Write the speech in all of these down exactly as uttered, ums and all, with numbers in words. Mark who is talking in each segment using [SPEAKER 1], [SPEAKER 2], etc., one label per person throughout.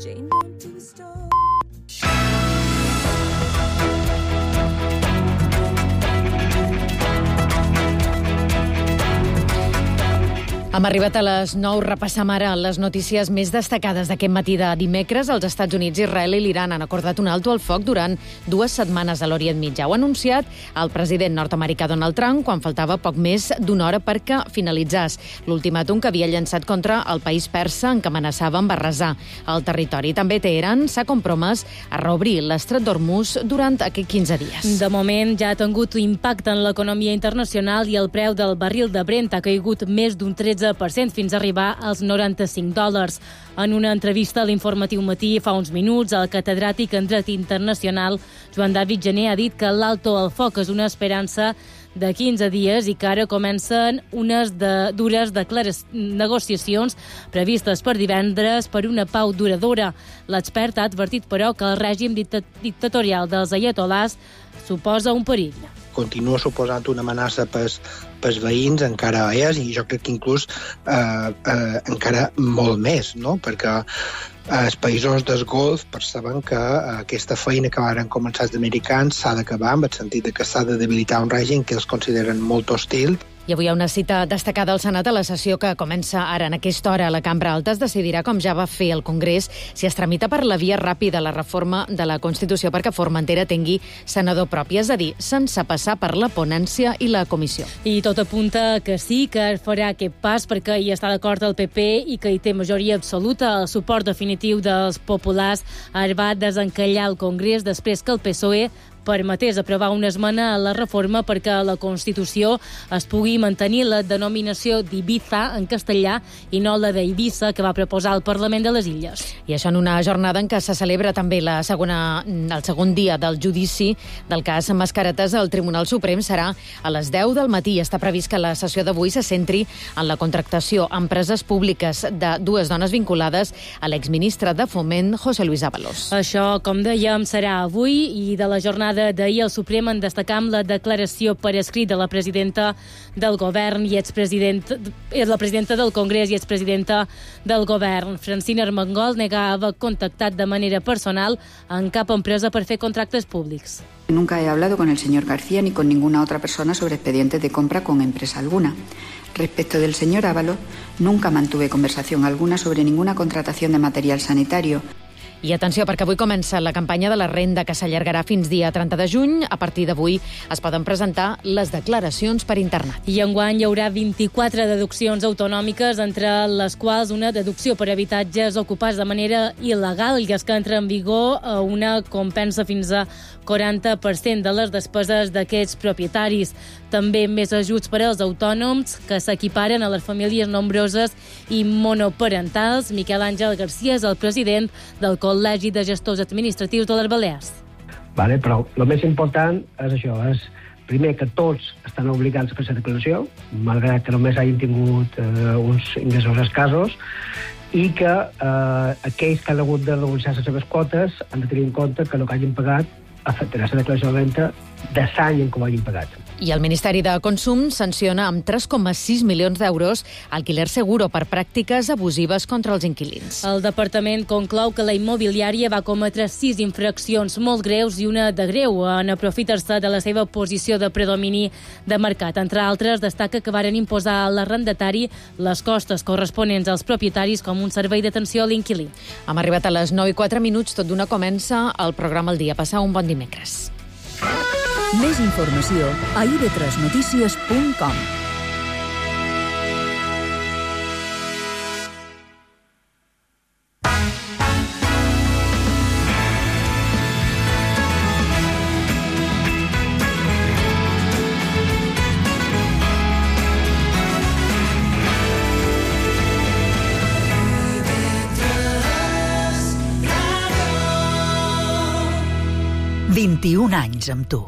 [SPEAKER 1] chained onto a stone.
[SPEAKER 2] Hem arribat a les nou. Repassam ara les notícies més destacades d'aquest matí de dimecres. Els Estats Units, Israel i l'Iran han acordat un alto al foc durant dues setmanes a l'Orient Mitjà. Ho ha anunciat el president nord-americà Donald Trump quan faltava poc més d'una hora perquè finalitzés l'ultimàtum que havia llançat contra el país persa en què amenaçava amb arrasar el territori. També Teheran s'ha compromès a reobrir l'estret d'Hormuz durant aquests quinze dies.
[SPEAKER 3] De moment ja ha tingut impacte en l'economia internacional i el preu del barril de Brent ha caigut més d'un tretze per cent fins a arribar als noranta-cinc dòlars. En una entrevista a l'Informatiu Matí fa uns minuts, el catedràtic en dret internacional Joan David Gené ha dit que l'alto al foc és una esperança de quinze dies i que ara comencen unes de, dures negociacions previstes per divendres per una pau duradora. L'expert ha advertit, però, que el règim dictatorial dels aiatolars suposa un perill.
[SPEAKER 4] Continua suposant una amenaça pels, pels veïns, encara és, i jo crec que inclús eh, eh, encara molt més, no? Perquè els països del Golf perceben que aquesta feina que van començar els americans s'ha d'acabar, en el sentit que s'ha de debilitar un règim que els consideren molt hostil.
[SPEAKER 2] I avui hi ha una cita destacada al Senat a la sessió que comença ara en aquesta hora a la Cambra Alta. Es decidirà, com ja va fer el Congrés, si es tramita per la via ràpida la reforma de la Constitució perquè Formentera tingui senador propi, és a dir, sense passar per la ponència i la comissió.
[SPEAKER 3] I tot apunta que sí, que farà aquest pas perquè hi està d'acord el P P i que hi té majoria absoluta. El suport definitiu dels populars va desencallar el Congrés després que el P S O E permetés aprovar una esmena a la reforma perquè la Constitució es pugui mantenir la denominació d'Ibiza en castellà i no la d'Eivissa que va proposar el Parlament de les Illes.
[SPEAKER 2] I això en una jornada en què se celebra també la segona, el segon dia del judici del cas Mascaretes al Tribunal Suprem. Serà a les deu del matí. Està previst que la sessió d'avui se centri en la contractació a empreses públiques de dues dones vinculades a l'exministre de Foment, José Luis Ábalos.
[SPEAKER 3] Això, com dèiem, serà avui, i de la jornada d'ahir al Suprem en destacam la declaració per escrit de la presidenta del govern i expresident, la presidenta del Congrés i expresidenta del govern. Francina Armengol nega haver contactat de manera personal en cap empresa per fer contractes públics.
[SPEAKER 5] Nunca he hablado con el señor García ni con ninguna otra persona sobre expedientes de compra con empresa alguna. Respecto del señor Ábalos, nunca mantuve conversación alguna sobre ninguna contratación de material sanitario.
[SPEAKER 2] I atenció, perquè avui comença la campanya de la renda que s'allargarà fins dia trenta de juny. A partir d'avui es poden presentar les declaracions per internet.
[SPEAKER 3] I enguany hi haurà vint-i-quatre deduccions autonòmiques, entre les quals una deducció per habitatges ocupats de manera il·legal, i és que entra en vigor una compensa fins a quaranta per cent de les despeses d'aquests propietaris. També més ajuts per als autònoms que s'equiparen a les famílies nombroses i monoparentals. Miquel Àngel García és el president del Col·legi de Gestors Administratius de les Balears.
[SPEAKER 6] Vale, però el més important és això, és primer que tots estan obligats a fer la declaració, malgrat que només hagin tingut eh, uns ingressos escassos, i que eh, aquells que han hagut de negociar les seves quotes han de tenir en compte que el que hagin pagat afectarà la declaració de renta de l'any en què ho hagin pagat.
[SPEAKER 2] I el Ministeri de Consum sanciona amb tres coma sis milions d'euros Alquiler Seguro per pràctiques abusives contra els inquilins.
[SPEAKER 3] El departament conclou que la immobiliària va cometre sis infraccions molt greus i una de greu en aprofitar-se de la seva posició de predomini de mercat. Entre altres, destaca que varen imposar a l'arrendatari les costes corresponents als propietaris com un servei d'atenció a l'inquilí.
[SPEAKER 2] Hem arribat a les nou i quatre minuts, tot d'una comença el programa El Dia. Passar un bon dimecres.
[SPEAKER 1] Més informació a i ve tres notícies punt com.
[SPEAKER 7] vint-i-un anys amb tu.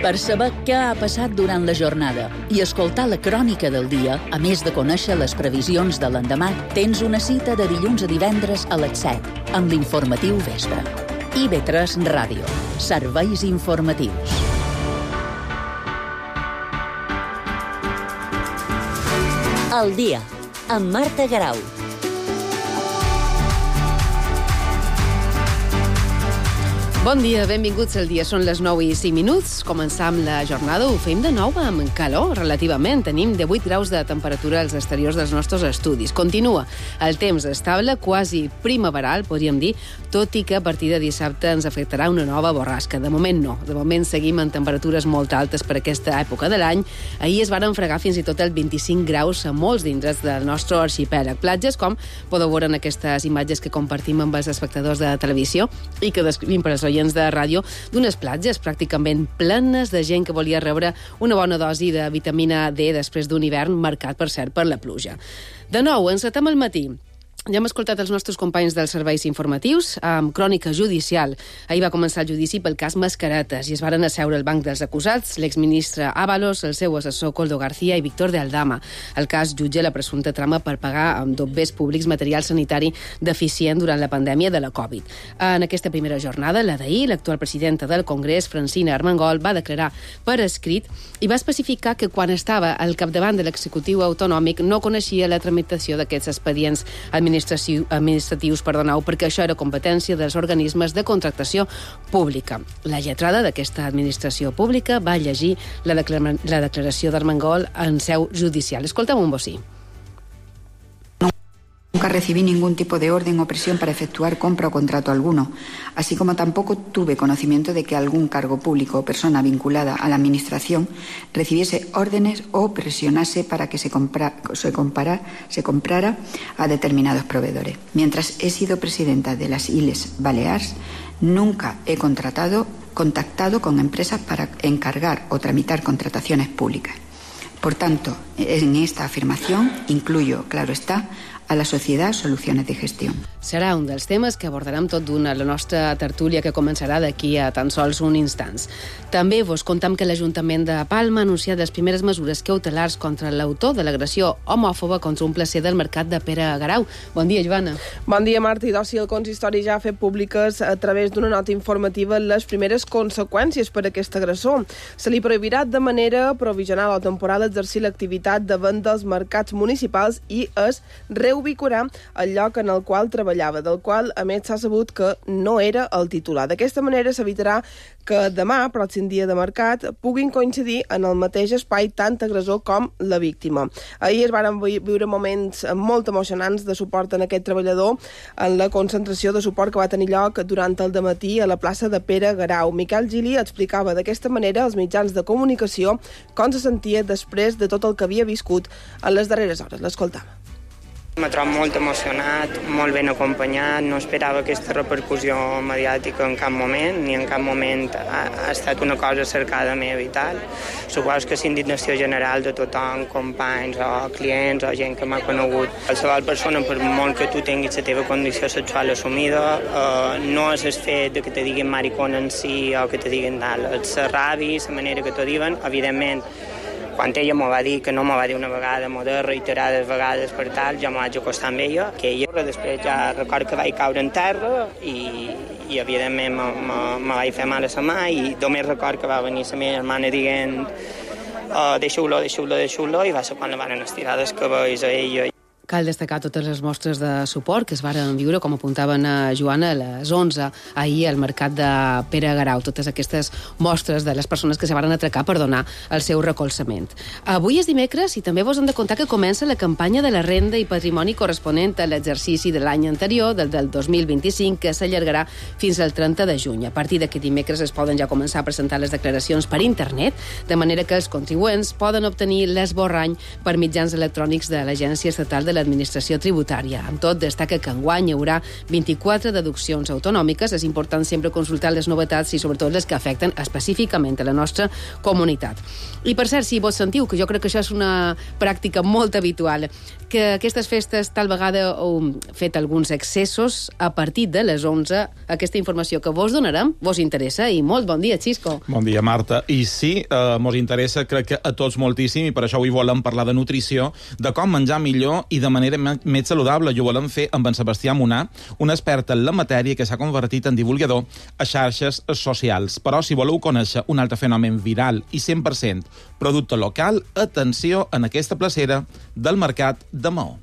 [SPEAKER 8] Per saber què ha passat durant la jornada i escoltar la crònica del dia, a més de conèixer les previsions de l'endemà, tens una cita de dilluns a divendres a les set, amb l'informatiu vespre. i ve tres Ràdio. Serveis informatius. El dia, amb Marta Garau.
[SPEAKER 9] Bon dia, benvinguts al dia. Són les nou i cinc minuts. Començam la jornada, ho fem de nou amb calor, relativament. Tenim divuit graus de temperatura als exteriors dels nostres estudis. Continua el temps estable, quasi primaveral, podríem dir, tot i que a partir de dissabte ens afectarà una nova borrasca. De moment no. De moment seguim en temperatures molt altes per aquesta època de l'any. Ahir es van fregar fins i tot el vint-i-cinc graus a molts d'indrets del nostre arxipèlag. Platges, com podeu veure en aquestes imatges que compartim amb els espectadors de televisió i que descrivim per als oients de ràdio, d'unes platges pràcticament plenes de gent que volia rebre una bona dosi de vitamina D després d'un hivern marcat, per cert, per la pluja. De nou, encetem el matí. Ja hem escoltat els nostres companys dels serveis informatius amb crònica judicial. Ahir va començar el judici pel cas Mascaretes i es varen asseure al banc dels acusats l'exministre Ábalos, el seu assessor Koldo García i Víctor de Aldama. El cas jutja la presumpta trama per pagar amb dobbers públics material sanitari deficient durant la pandèmia de la Covid. En aquesta primera jornada, la d'ahir, l'actual presidenta del Congrés, Francina Armengol, va declarar per escrit i va especificar que quan estava al capdavant de l'executiu autonòmic no coneixia la tramitació d'aquests expedients administratius administratius, perdoneu, perquè això era competència dels organismes de contractació pública. La lletrada d'aquesta administració pública va llegir la, declara la declaració d'Armengol en seu judicial. Escolta'm un bocí.
[SPEAKER 5] Nunca recibí ningún tipo de orden o presión para efectuar compra o contrato alguno, así como tampoco tuve conocimiento de que algún cargo público o persona vinculada a la Administración recibiese órdenes o presionase para que se, compra, se, compara, se comprara a determinados proveedores. Mientras he sido presidenta de las Illes Balears, nunca he contratado, contactado con empresas para encargar o tramitar contrataciones públicas. Por tanto, en esta afirmación incluyo, claro está, a la Societat Soluciones de Gestió.
[SPEAKER 9] Serà un dels temes que abordarem tot d'una a la nostra tertúlia que començarà d'aquí a tan sols un instants. També vos contam que l'Ajuntament de Palma ha anunciat les primeres mesures cautelars contra l'autor de l'agressió homòfoba contra un placer del mercat de Pere Garau. Bon dia, Joana.
[SPEAKER 10] Bon dia, Marta. I d'oci, el consistori ja ha fet públiques a través d'una nota informativa les primeres conseqüències per a aquest agressor. Se li prohibirà de manera provisional o temporal exercir l'activitat davant dels mercats municipals i es reubicarà el lloc en el qual treballava, del qual, a més, s'ha sabut que no era el titular. D'aquesta manera s'evitarà que demà, pròxim dia de mercat, puguin coincidir en el mateix espai tant agressor com la víctima. Ahir es van viure moments molt emocionants de suport en aquest treballador en la concentració de suport que va tenir lloc durant el dematí a la plaça de Pere Garau. Miquel Gili explicava d'aquesta manera als mitjans de comunicació com se sentia després de tot el que havia viscut en les darreres hores. L'escoltam.
[SPEAKER 11] Me trobo molt emocionat, molt ben acompanyat, no esperava aquesta repercussió mediàtica en cap moment, ni en cap moment ha, ha estat una cosa cercada meva i tal. Suposo que és indignació general de tothom, companys o clients o gent que m'ha conegut. Qualsevol persona, per molt que tu tinguis la teva condició sexual assumida, eh, no és el fet de que te diguin maricona en si o que te diguin tal. És la ràbia, la manera que t'ho diuen, evidentment. Quan ella m'ho va dir, que no m'ho va dir una vegada, m'ho de reiterades vegades per tal, jo m'ho vaig acostar amb ella, que ella després ja record que vaig caure en terra i, i evidentment me vaig fer mal a la mà i només record que va venir la meva germana dient oh, deixeu-lo, deixeu-lo, deixeu-lo i va ser quan la van estirar dels cabells a ella.
[SPEAKER 9] Cal destacar totes les mostres de suport que es varen viure, com apuntaven a Joana, a les onze, ahir al mercat de Pere Garau. Totes aquestes mostres de les persones que se varen atracar per donar el seu recolzament. Avui és dimecres i també vos hem de contar que comença la campanya de la renda i patrimoni corresponent a l'exercici de l'any anterior, del del dos mil vint-i-cinc, que s'allargarà fins al trenta de juny. A partir d'aquest dimecres es poden ja començar a presentar les declaracions per internet, de manera que els contribuents poden obtenir l'esborrany per mitjans electrònics de l'Agència Estatal de l'Administració Tributària. Amb tot, destaca que enguany hi haurà vint-i-quatre deduccions autonòmiques. És important sempre consultar les novetats i sobretot les que afecten específicament a la nostra comunitat. I per cert, si vos sentiu, que jo crec que això és una pràctica molt habitual, que aquestes festes tal vegada heu fet alguns excessos, a partir de les onze, aquesta informació que vos donarem vos interessa i molt bon dia, Xisco.
[SPEAKER 12] Bon dia, Marta. I sí, eh, mos interessa, crec que a tots moltíssim, i per això avui volem parlar de nutrició, de com menjar millor i de manera més saludable. I ho volem fer amb en Sebastià Munà, un expert en la matèria que s'ha convertit en divulgador a xarxes socials. Però si voleu conèixer un altre fenomen viral i cent per cent producte local, atenció en aquesta placera del mercat de Maó.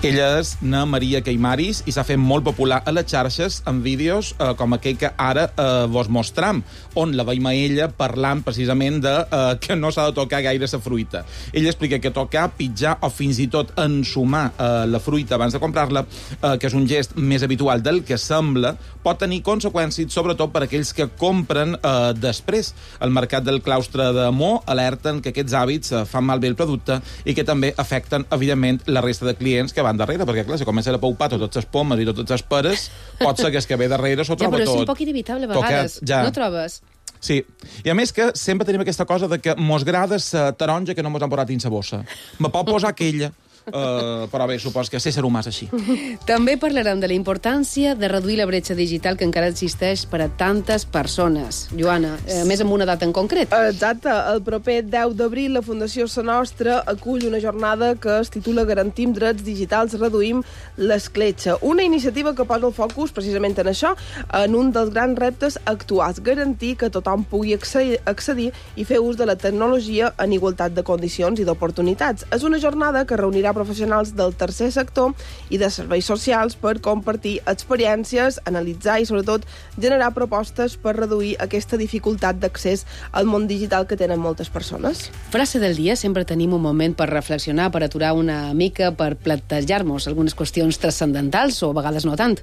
[SPEAKER 12] Ella és na Maria Queimaris i s'ha fet molt popular a les xarxes en vídeos eh, com aquell que ara eh, vos mostram, on la veiem a ella parlant precisament de eh, que no s'ha de tocar gaire la fruita. Ella explica que tocar, pitjar o fins i tot ensumar eh, la fruita abans de comprar-la, eh, que és un gest més habitual del que sembla, pot tenir conseqüències, sobretot per aquells que compren eh, després. El mercat del claustre de Mo alerten que aquests hàbits eh, fan malbé el producte i que també afecten, evidentment, la resta de clients que van darrere, perquè, clar, si comencen a paupar totes les pomes i totes les peres, pot ser que es que ve darrere s'ho troba tot.
[SPEAKER 9] Ja, però és un poc inevitable a vegades, tocat, ja. No trobes?
[SPEAKER 12] Sí, i a més que sempre tenim aquesta cosa de que mos grada la taronja que no mos han posat dins la bossa. Me pot posar aquella, Uh, però bé, supos que ser ser humà és així.
[SPEAKER 9] També parlarem de la importància de reduir la bretxa digital que encara existeix per a tantes persones. Joana, eh, més amb una data en concret.
[SPEAKER 10] Exacte. El proper deu d'abril la Fundació Sa Nostra acull una jornada que es titula Garantim drets digitals, reduïm l'escletxa. Una iniciativa que posa el focus precisament en això, en un dels grans reptes actuals, garantir que tothom pugui accedir i fer ús de la tecnologia en igualtat de condicions i d'oportunitats. És una jornada que reunirà professionals del tercer sector i de serveis socials per compartir experiències, analitzar i, sobretot, generar propostes per reduir aquesta dificultat d'accés al món digital que tenen moltes persones.
[SPEAKER 9] Frase del dia, sempre tenim un moment per reflexionar, per aturar una mica, per plantejar-nos algunes qüestions transcendentals o a vegades no tant.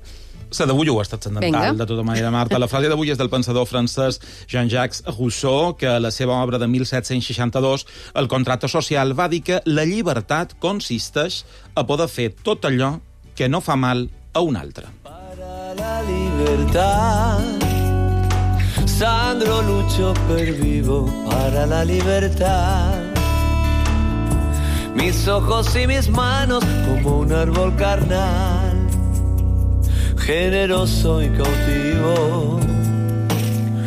[SPEAKER 12] La d'avui ho ha estat transcendental, de tota manera, Marta. La frase d'avui és del pensador francès Jean-Jacques Rousseau, que a la seva obra de mil set-cents seixanta-dos, El contracte social, va dir que la llibertat consisteix a poder fer tot allò que no fa mal a un altre.
[SPEAKER 13] Para la libertad, Sandro lucho per vivo para la libertad. Mis ojos y mis manos como un árbol carnal, generoso i cautivo.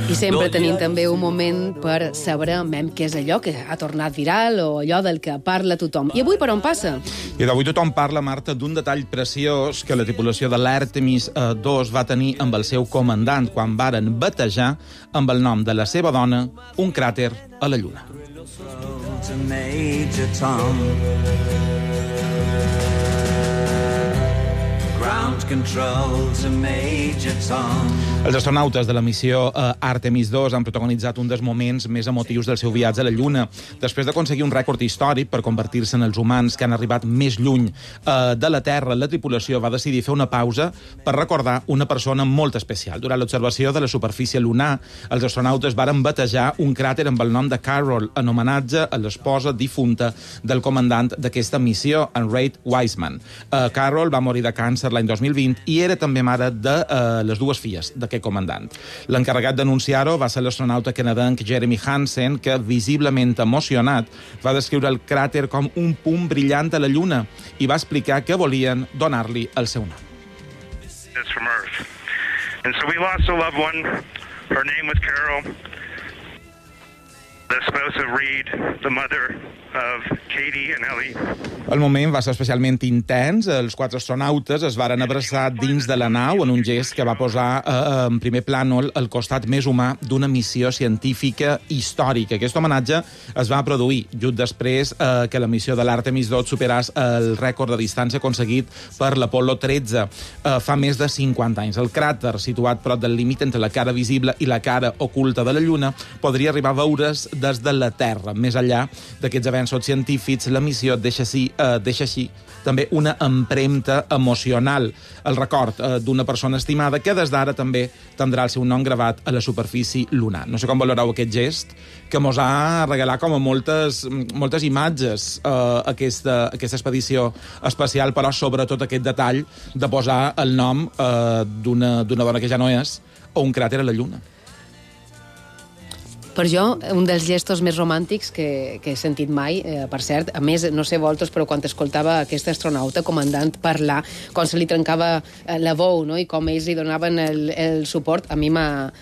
[SPEAKER 9] I sempre tenim també un moment per saber què és allò que ha tornat viral o allò del que parla tothom. I avui per on passa?
[SPEAKER 12] I d'avui tothom parla, Marta, d'un detall preciós que la tripulació de l'Àrtemis dos va tenir amb el seu comandant quan varen batejar amb el nom de la seva dona un cràter a la Lluna. Els astronautes de la missió eh, Àrtemis dos han protagonitzat un dels moments més emotius del seu viatge a la Lluna. Després d'aconseguir un rècord històric per convertir-se en els humans que han arribat més lluny eh, de la Terra, la tripulació va decidir fer una pausa per recordar una persona molt especial. Durant l'observació de la superfície lunar, els astronautes varen batejar un cràter amb el nom de Carol, en homenatge a l'esposa difunta del comandant d'aquesta missió, en Reid Wiseman. Eh, Carol va morir de càncer l'any dos mil vint i era també mare de uh, les dues filles d'aquest comandant. L'encarregat d'anunciar-ho va ser l'astronauta canadenc Jeremy Hansen, que, visiblement emocionat, va descriure el cràter com un punt brillant a la Lluna i va explicar que volien donar-li el seu nom.
[SPEAKER 14] It's from Earth. And so we lost a loved one. Her name was Carol, the spouse of Reed, the mother of Katie and Ellie.
[SPEAKER 12] El moment va ser especialment intens. Els quatre astronautes es varen abraçar dins de la nau en un gest que va posar eh, en primer plànol el costat més humà d'una missió científica històrica. Aquest homenatge es va produir just després eh, que la missió de l'Àrtemis dos superàs el rècord de distància aconseguit per l'Apol·lo tretze eh, fa més de cinquanta anys. El cràter, situat prop del límit entre la cara visible i la cara oculta de la Lluna, podria arribar a veure's des de la Terra. Més enllà d'aquests avenços científics, la missió deixa, sí, eh, deixa així també una empremta emocional, el record eh, d'una persona estimada que des d'ara també tindrà el seu nom gravat a la superfície lunar. No sé com valoreu aquest gest, que mos ha regalat com a moltes, moltes imatges eh, aquesta, aquesta expedició espacial, però sobretot aquest detall de posar el nom eh, d'una dona que ja no és o un cràter a la Lluna.
[SPEAKER 9] Per jo, un dels gestos més romàntics que, que he sentit mai, eh, per cert, a més, no sé vosaltres, però quan escoltava aquest astronauta comandant parlar, quan se li trencava eh, la veu, no?, i com ells li donaven el, el suport, a mi m'ha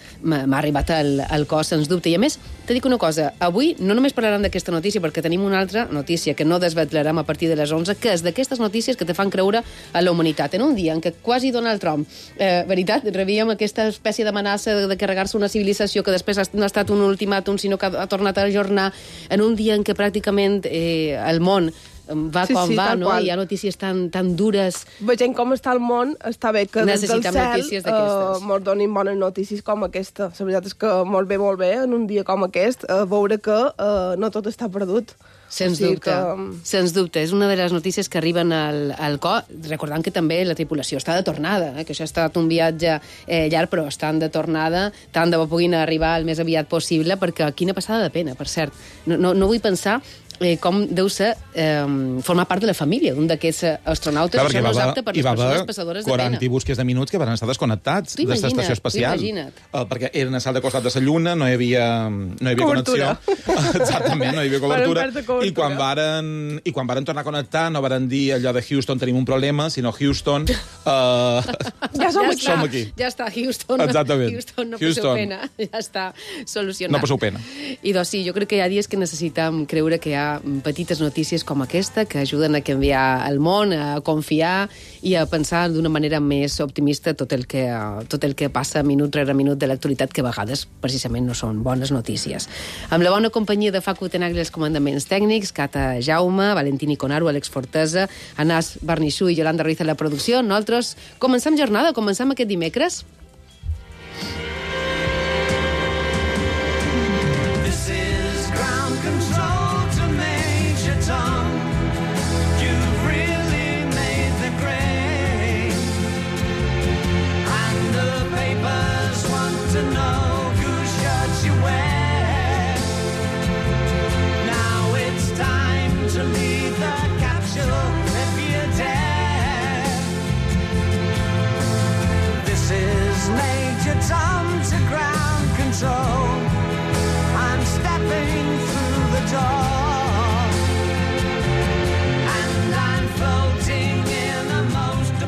[SPEAKER 9] arribat al, al cos, sens dubte. I a més, te dic una cosa, avui no només parlarem d'aquesta notícia, perquè tenim una altra notícia que no desvetlarem a partir de les onze, que és d'aquestes notícies que te fan creure a la humanitat. En un dia en què quasi Donald Trump, eh, veritat, rebíem aquesta espècie d'amenaça de, de carregar-se una civilització que després no ha estat un ultimàtum, sinó que ha tornat a ajornar, en un dia en què pràcticament eh, el món va
[SPEAKER 10] sí,
[SPEAKER 9] com
[SPEAKER 10] sí,
[SPEAKER 9] va, no?
[SPEAKER 10] Qual.
[SPEAKER 9] Hi ha notícies tan, tan dures.
[SPEAKER 10] Veient com està el món, està bé que des del cel
[SPEAKER 9] uh,
[SPEAKER 10] mos donin bones notícies com aquesta. La veritat és que molt bé, molt bé, en un dia com aquest, uh, veure que uh, no tot està perdut.
[SPEAKER 9] Sens
[SPEAKER 10] o sigui
[SPEAKER 9] dubte,
[SPEAKER 10] que...
[SPEAKER 9] sens dubte. És una de les notícies que arriben al, al cor, recordant que també la tripulació està de tornada, eh? que això ha estat un viatge eh, llarg, però estan de tornada, tant de bo puguin arribar el més aviat possible, perquè quina passada de pena, per cert. No, no, no vull pensar eh, com deu ser eh, formar part de la família d'un d'aquests astronautes.
[SPEAKER 12] Clar,
[SPEAKER 9] això no és
[SPEAKER 12] va,
[SPEAKER 9] apte per les persones passadores de pena.
[SPEAKER 12] quaranta i busques de minuts que van estar desconnectats de l'estació espacial. Uh, perquè eren a salt de costat de la Lluna, no hi havia, no hi havia connexió. Exactament, no hi havia cobertura. I quan, varen, I quan varen tornar a connectar no varen dir allò de Houston tenim un problema, sinó Houston... Uh,
[SPEAKER 10] ja som,
[SPEAKER 9] ja
[SPEAKER 10] aquí.
[SPEAKER 12] som aquí.
[SPEAKER 9] Ja està, Houston.
[SPEAKER 12] Exactament.
[SPEAKER 9] Houston, no
[SPEAKER 12] Houston.
[SPEAKER 9] passeu pena. Ja està solucionat.
[SPEAKER 12] No passeu pena.
[SPEAKER 9] I doncs sí, jo crec que hi ha dies que necessitem creure que hi ha petites notícies com aquesta que ajuden a canviar el món, a confiar i a pensar d'una manera més optimista tot el que, tot el que passa minut rere minut de l'actualitat, que a vegades precisament no són bones notícies. Amb la bona companyia de Facu Tenagli els comandaments tècnics, Cata Jaume, Valentini Conaro, Àlex Fortesa, Anàs Barnissú i Yolanda Ruiz a la producció, nosaltres comencem jornada, comencem aquest dimecres.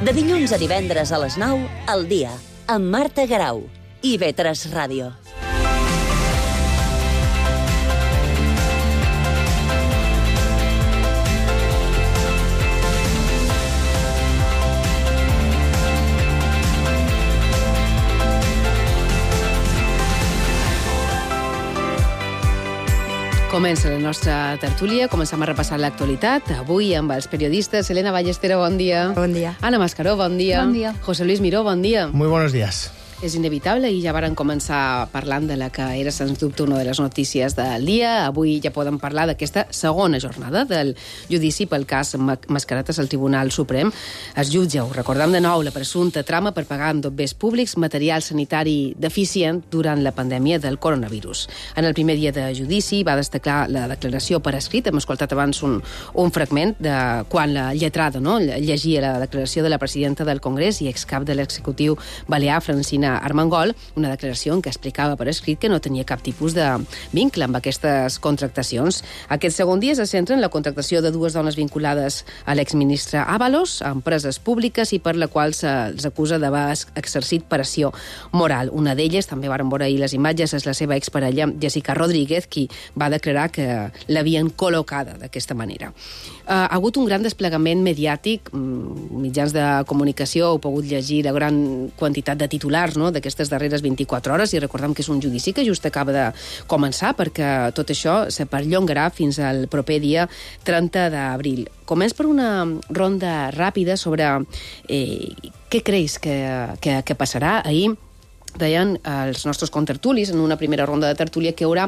[SPEAKER 15] De dilluns a divendres a les nou, al dia, amb Marta Garau i I V tres Ràdio.
[SPEAKER 9] Comença la nostra tertúlia, comencem a repassar l'actualitat. Avui amb els periodistes Elena Ballestero, bon dia.
[SPEAKER 16] Bon dia.
[SPEAKER 9] Ana Mascaró, bon dia.
[SPEAKER 16] Bon dia.
[SPEAKER 9] José Luis Miró, bon dia.
[SPEAKER 17] Muy buenos días.
[SPEAKER 9] És inevitable i ja varen començar parlant de la que era, sens dubte, una de les notícies del dia. Avui ja podem parlar d'aquesta segona jornada del judici pel cas Mascaretes al Tribunal Suprem. Es jutja, ho recordem de nou, la presumpta trama per pagar amb dobbers públics material sanitari deficient durant la pandèmia del coronavirus. En el primer dia de judici va destacar la declaració per escrit. Hem escoltat abans un, un fragment de quan la lletrada no, llegia la declaració de la presidenta del Congrés i excap de l'executiu balear, Francina Armengol, una declaració en què explicava per escrit que no tenia cap tipus de vincle amb aquestes contractacions. Aquest segon dia se centra en la contractació de dues dones vinculades a l'exministre Ábalos, a empreses públiques i per la qual se'ls acusa d'haver exercit pressió moral. Una d'elles, també varen veure ahir les imatges, és la seva exparella Jessica Rodríguez, qui va declarar que l'havien col·locada d'aquesta manera. Ha hagut un gran desplegament mediàtic, mitjans de comunicació, heu pogut llegir la gran quantitat de titulars no, d'aquestes darreres vint-i-quatre hores, i recordem que és un judici que just acaba de començar, perquè tot això se perllongarà fins al proper dia trenta d'abril. Començ per una ronda ràpida sobre eh, què creus que, que, que passarà. Ahir deien els nostres contertulis en una primera ronda de tertúlia que hi haurà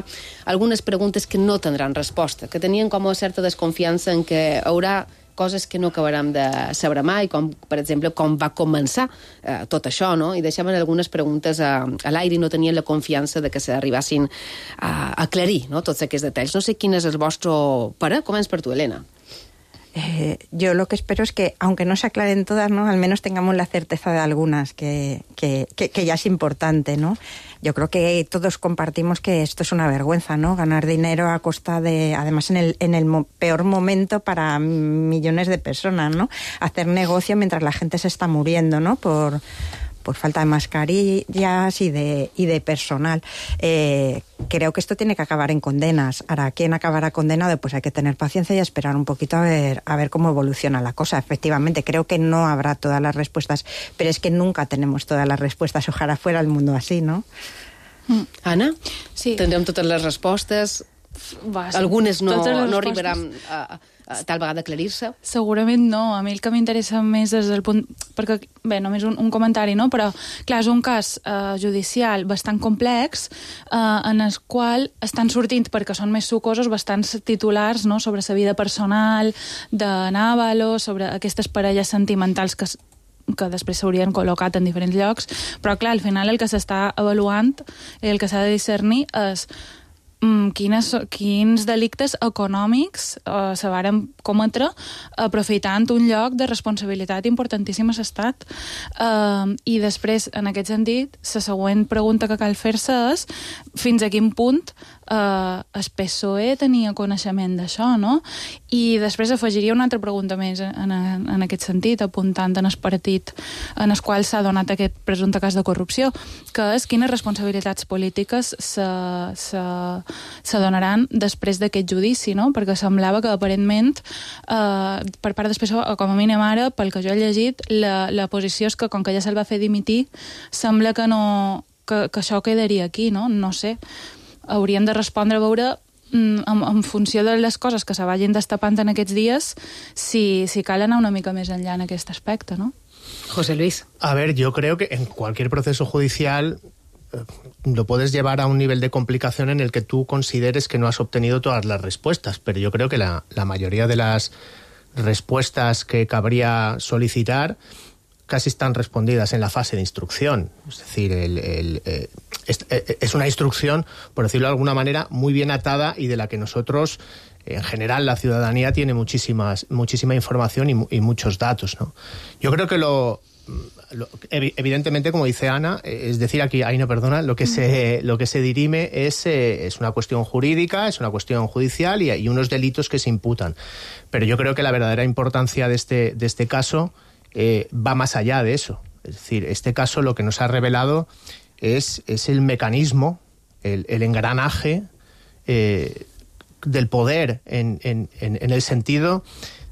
[SPEAKER 9] algunes preguntes que no tindran resposta, que tenien com a certa desconfiança en que hi haurà coses que no acabarem de saber mai, com, per exemple, com va començar eh, tot això, no? I deixaven algunes preguntes a, a l'aire i no tenien la confiança de que s'arribassin a aclarir no? Tots aquests detalls. No sé quin és el vostre parer. Començ per tu, Elena.
[SPEAKER 16] Eh, yo lo que espero es que, aunque no se aclaren todas, ¿no? Al menos tengamos la certeza de algunas, que, que, que, que ya es importante, ¿no? Yo creo que todos compartimos que esto es una vergüenza, ¿no? Ganar dinero a costa de, además en el, en el mo- peor momento para millones de personas, ¿no? Hacer negocio mientras la gente se está muriendo, ¿no? Por... por falta de mascarillas y de, y de personal. Eh, creo que esto tiene que acabar en condenas. Ahora, ¿quién acabará condenado? Pues hay que tener paciencia y esperar un poquito a ver, a ver cómo evoluciona la cosa. Efectivamente, creo que no habrá todas las respuestas, pero es que nunca tenemos todas las respuestas. Ojalá fuera el mundo así, ¿no?
[SPEAKER 9] Mm. Anna?
[SPEAKER 18] Sí.
[SPEAKER 9] Tindrem totes les respostes...
[SPEAKER 18] Va, sí.
[SPEAKER 9] Algunes no,
[SPEAKER 18] les
[SPEAKER 9] no
[SPEAKER 18] respostes...
[SPEAKER 9] arribaran a, tal vegada aclarir-se?
[SPEAKER 17] Segurament no. A mi el que m'interessa més és el punt... Perquè, bé, només un, un comentari, no? Però, clar, és un cas eh, judicial bastant complex eh, en el qual estan sortint, perquè són més sucosos, bastants titulars, no?, sobre la vida personal de N'Avalo, sobre aquestes parelles sentimentals que que després s'haurien col·locat en diferents llocs, però clar, al final el que s'està avaluant, el que s'ha de discernir és Quines, quins delictes econòmics eh, se varen cometre aprofitant un lloc de responsabilitat importantíssim a l'Estat. Eh, I després, en aquest sentit, la següent pregunta que cal fer-se és fins a quin punt eh, el P S O E tenia coneixement d'això, no? I després afegiria una altra pregunta més en, en aquest sentit, apuntant en el partit en el qual s'ha donat aquest presumpte cas de corrupció, que és quines responsabilitats polítiques se, se se donaran després d'aquest judici, no? Perquè semblava que aparentment eh, per part del P S O E, com a mínim ara, pel que jo he llegit, la, la posició és que com que ja se'l va fer dimitir, sembla que, no, que, que això quedaria aquí, no? No sé. Hauríem de respondre a veure en, en funció de les coses que se vagin destapant en aquests dies si, si cal anar una mica més enllà en aquest aspecte, no?
[SPEAKER 9] José Luis.
[SPEAKER 18] A ver, yo creo que en cualquier proceso judicial lo puedes llevar a un nivel de complicación en el que tú consideres que no has obtenido todas las respuestas, pero yo creo que la, la mayoría de las respuestas que cabría solicitar casi están respondidas en la fase de instrucción. Es decir, el, el, eh, es, es una instrucción, por decirlo de alguna manera, muy bien atada y de la que nosotros, en general, la ciudadanía tiene muchísimas, muchísima información y, y muchos datos, ¿no? Yo creo que lo... Evidentemente, como dice Ana, es decir, aquí, ahí no perdona, lo que se, lo que se dirime es, eh, es una cuestión jurídica, es una cuestión judicial y hay unos delitos que se imputan. Pero yo creo que la verdadera importancia de este, de este caso eh, va más allá de eso. Es decir, este caso lo que nos ha revelado es, es el mecanismo, el, el engranaje eh, del poder en, en, en, en el sentido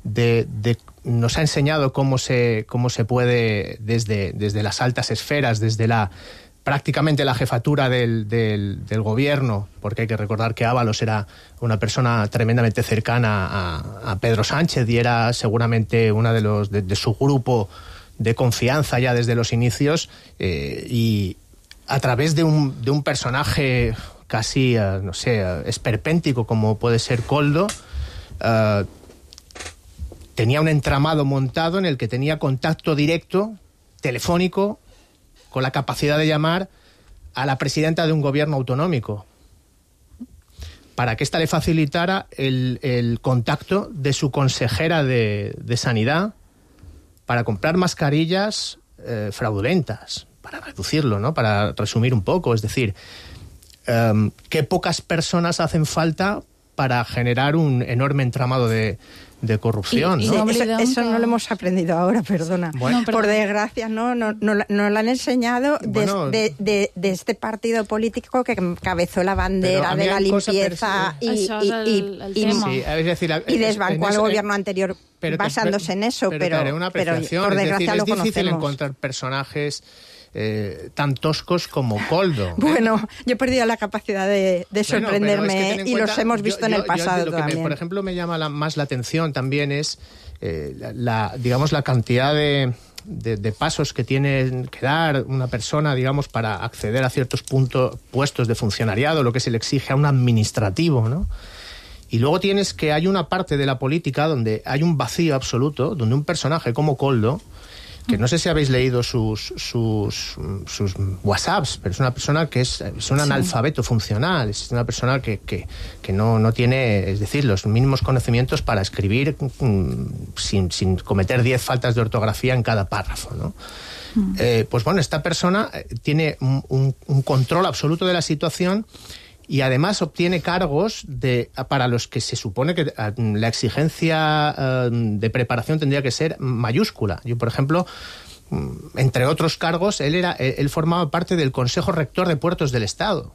[SPEAKER 18] de, de nos ha enseñado cómo se, cómo se puede, desde, desde las altas esferas, desde la prácticamente la jefatura del, del, del gobierno, porque hay que recordar que Ábalos era una persona tremendamente cercana a, a Pedro Sánchez y era seguramente una de los de, de su grupo de confianza ya desde los inicios, eh, y a través de un, de un personaje casi, uh, no sé, uh, esperpéntico como puede ser Koldo, uh, tenía un entramado montado en el que tenía contacto directo, telefónico, con la capacidad de llamar a la presidenta de un gobierno autonómico, para que ésta le facilitara el, el contacto de su consejera de, de Sanidad para comprar mascarillas eh, fraudulentas, para reducirlo, ¿no? Para resumir un poco, es decir, um, qué pocas personas hacen falta para generar un enorme entramado de, de corrupción,
[SPEAKER 16] y,
[SPEAKER 18] ¿no?
[SPEAKER 16] y eso, eso no lo hemos aprendido ahora, perdona. Bueno, por desgracia, no, no, no, no lo han enseñado bueno, de, de, de este partido político que encabezó la bandera de la limpieza y, y, y, y, y, sí, es decir, y desbancó al gobierno anterior pero, basándose pero, en eso, pero, pero, pero, una pero por desgracia es decir, lo
[SPEAKER 18] es difícil
[SPEAKER 16] conocemos.
[SPEAKER 18] Encontrar personajes Eh, tan toscos como Koldo.
[SPEAKER 16] Bueno, ¿eh? Yo he perdido la capacidad de, de sorprenderme, bueno, es que y cuenta, los hemos visto yo, en el pasado yo, lo también.
[SPEAKER 18] Que me, por ejemplo, me llama la, más la atención también es eh, la, la, digamos, la cantidad de, de, de pasos que tiene que dar una persona, digamos, para acceder a ciertos puntos, puestos de funcionariado, lo que se le exige a un administrativo, ¿no? Y luego tienes que hay una parte de la política donde hay un vacío absoluto, donde un personaje como Koldo, que no sé si habéis leído sus, sus, sus WhatsApps, pero es una persona que es, es un analfabeto sí. funcional, es una persona que, que, que no, no tiene, es decir, los mínimos conocimientos para escribir mm, sin, sin cometer diez faltas de ortografía en cada párrafo, ¿no? Mm. Eh, pues bueno, esta persona tiene un, un, un control absoluto de la situación y además obtiene cargos de, para los que se supone que la exigencia eh, de preparación tendría que ser mayúscula. Yo, por ejemplo, entre otros cargos, él, era, él formaba parte del Consejo Rector de Puertos del Estado.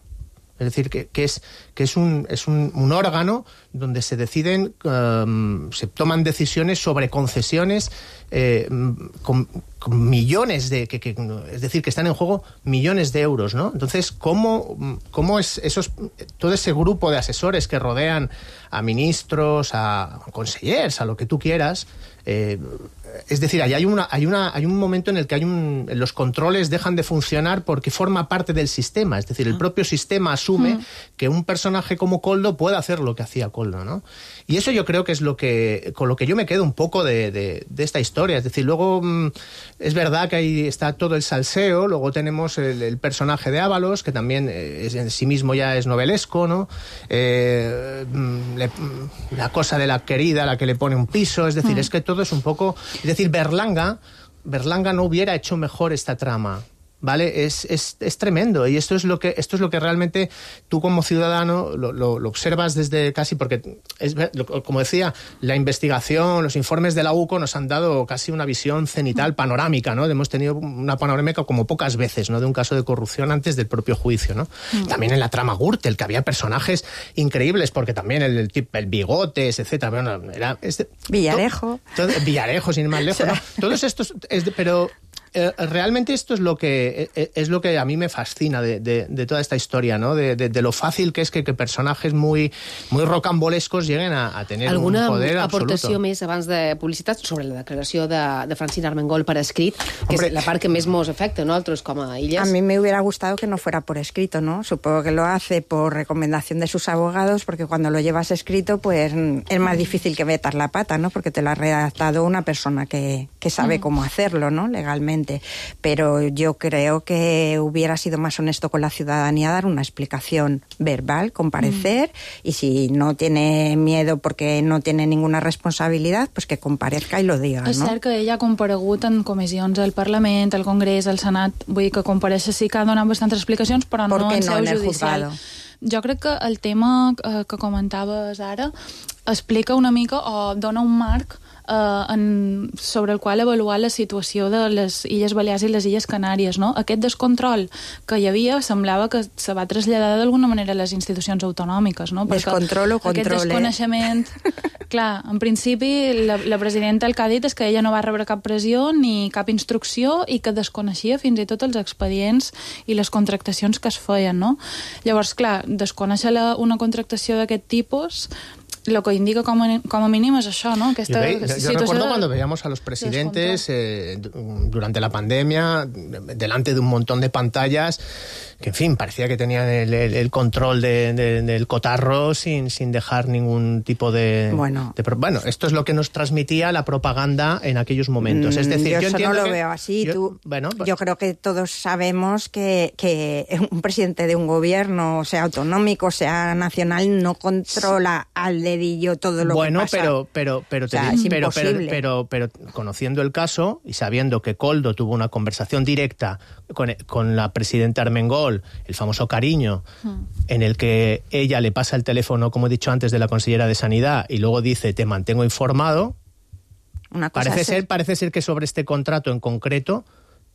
[SPEAKER 18] Es decir, que, que, es, que es, un, es un, un órgano donde se deciden, um, se toman decisiones sobre concesiones eh, con, con millones de... Que, que, es decir, que están en juego millones de euros, ¿no? Entonces, ¿cómo, cómo es esos, todo ese grupo de asesores que rodean a ministros, a consellers, a lo que tú quieras... Eh, es decir, hay, una, hay, una, hay un momento en el que hay un, los controles dejan de funcionar porque forma parte del sistema. Es decir, el propio sistema asume mm. que un personaje como Koldo puede hacer lo que hacía Koldo, ¿no? Y eso yo creo que es lo que con lo que yo me quedo un poco de, de, de esta historia. Es decir, luego mm, es verdad que ahí está todo el salseo, luego tenemos el, el personaje de Ábalos, que también es, en sí mismo ya es novelesco, ¿no? Eh, le, la cosa de la querida, la que le pone un piso, es decir, mm. es que todo es un poco... Es decir, Berlanga, Berlanga no hubiera hecho mejor esta trama, ¿vale? Es, es, es tremendo, y esto es lo que esto es lo que realmente tú como ciudadano lo, lo, lo observas desde casi, porque, es, como decía, la investigación, los informes de la U C O nos han dado casi una visión cenital panorámica, ¿no? Hemos tenido una panorámica como pocas veces, ¿no? De un caso de corrupción antes del propio juicio, ¿no? Mm. También en la trama Gürtel, que había personajes increíbles, porque también el, el, el, el Bigotes, etcétera, bueno, era... Este,
[SPEAKER 16] Villarejo.
[SPEAKER 18] Todo, todo, Villarejo, sin ir más lejos, ¿no? Todos estos... Es de, pero... Eh, realmente esto es lo que eh, es lo que a mí me fascina de, de, de toda esta historia, ¿no? De, de, de lo fácil que es que, que personajes muy, muy rocambolescos lleguen a, a tener
[SPEAKER 9] Alguna
[SPEAKER 18] un poder
[SPEAKER 9] aportació
[SPEAKER 18] absoluto.
[SPEAKER 9] més abans de publicitat sobre la declaració de, de Francina Armengol per escrit, que Hombre. es la part que més mos afecta, ¿no? Altres com a Illes.
[SPEAKER 16] A mí me hubiera gustado que no fuera por escrito, ¿no? Supongo que lo hace por recomendación de sus abogados, porque cuando lo llevas escrito, pues es más difícil que metas la pata, ¿no? Porque te lo ha redactado una persona que, que sabe mm. cómo hacerlo, ¿no? Legalmente. Pero yo creo que hubiera sido más honesto con la ciudadanía dar una explicación verbal, comparecer, mm. y si no tiene miedo porque no tiene ninguna responsabilidad, pues que comparezca i lo diga, no?
[SPEAKER 17] És cert que ella ha comparegut en comissions al Parlament, al Congrés, al Senat, vull dir que compareixer sí que ha donat bastantes explicacions, però no en seu judicial. Jo crec que el tema eh, que comentaves ara explica una mica o dona un marc Uh, en, sobre el qual avaluar la situació de les Illes Balears i les Illes Canàries, no? Aquest descontrol que hi havia semblava que se va traslladar d'alguna manera a les institucions autonòmiques, no?
[SPEAKER 16] Descontrol o control,
[SPEAKER 17] aquest desconeixement... Eh? Clar, en principi la, la presidenta el que ha dit és que ella no va rebre cap pressió ni cap instrucció i que desconeixia fins i tot els expedients i les contractacions que es feien, no? Llavors, clar, desconèixer la, una contractació d'aquest tipus... Lo que indica como, como mínimo es eso, ¿no? Que esta
[SPEAKER 18] yo, ve, yo recuerdo de, cuando veíamos a los presidentes eh, durante la pandemia, delante de un montón de pantallas, que en fin, parecía que tenían el, el, el control de, de, del cotarro sin, sin dejar ningún tipo de,
[SPEAKER 16] bueno.
[SPEAKER 18] de... Bueno, esto es lo que nos transmitía la propaganda en aquellos momentos. Es decir,
[SPEAKER 16] yo,
[SPEAKER 18] yo
[SPEAKER 16] eso
[SPEAKER 18] entiendo
[SPEAKER 16] no lo
[SPEAKER 18] que,
[SPEAKER 16] veo así.
[SPEAKER 18] Yo,
[SPEAKER 16] Tú,
[SPEAKER 18] bueno, pues,
[SPEAKER 16] yo creo que todos sabemos que, que un presidente de un gobierno, sea autonómico, sea nacional, no controla al dedillo todo lo
[SPEAKER 18] bueno,
[SPEAKER 16] que pasa.
[SPEAKER 18] Bueno, pero, pero, pero,
[SPEAKER 16] o sea,
[SPEAKER 18] te,
[SPEAKER 16] es
[SPEAKER 18] pero, pero, pero, pero conociendo el caso y sabiendo que Koldo tuvo una conversación directa con, con la presidenta Armengol, el famoso cariño, mm. en el que ella le pasa el teléfono, como he dicho antes, de la consellera de Sanidad y luego dice, te mantengo informado.
[SPEAKER 16] Una cosa
[SPEAKER 18] parece, ser, parece ser que sobre este contrato en concreto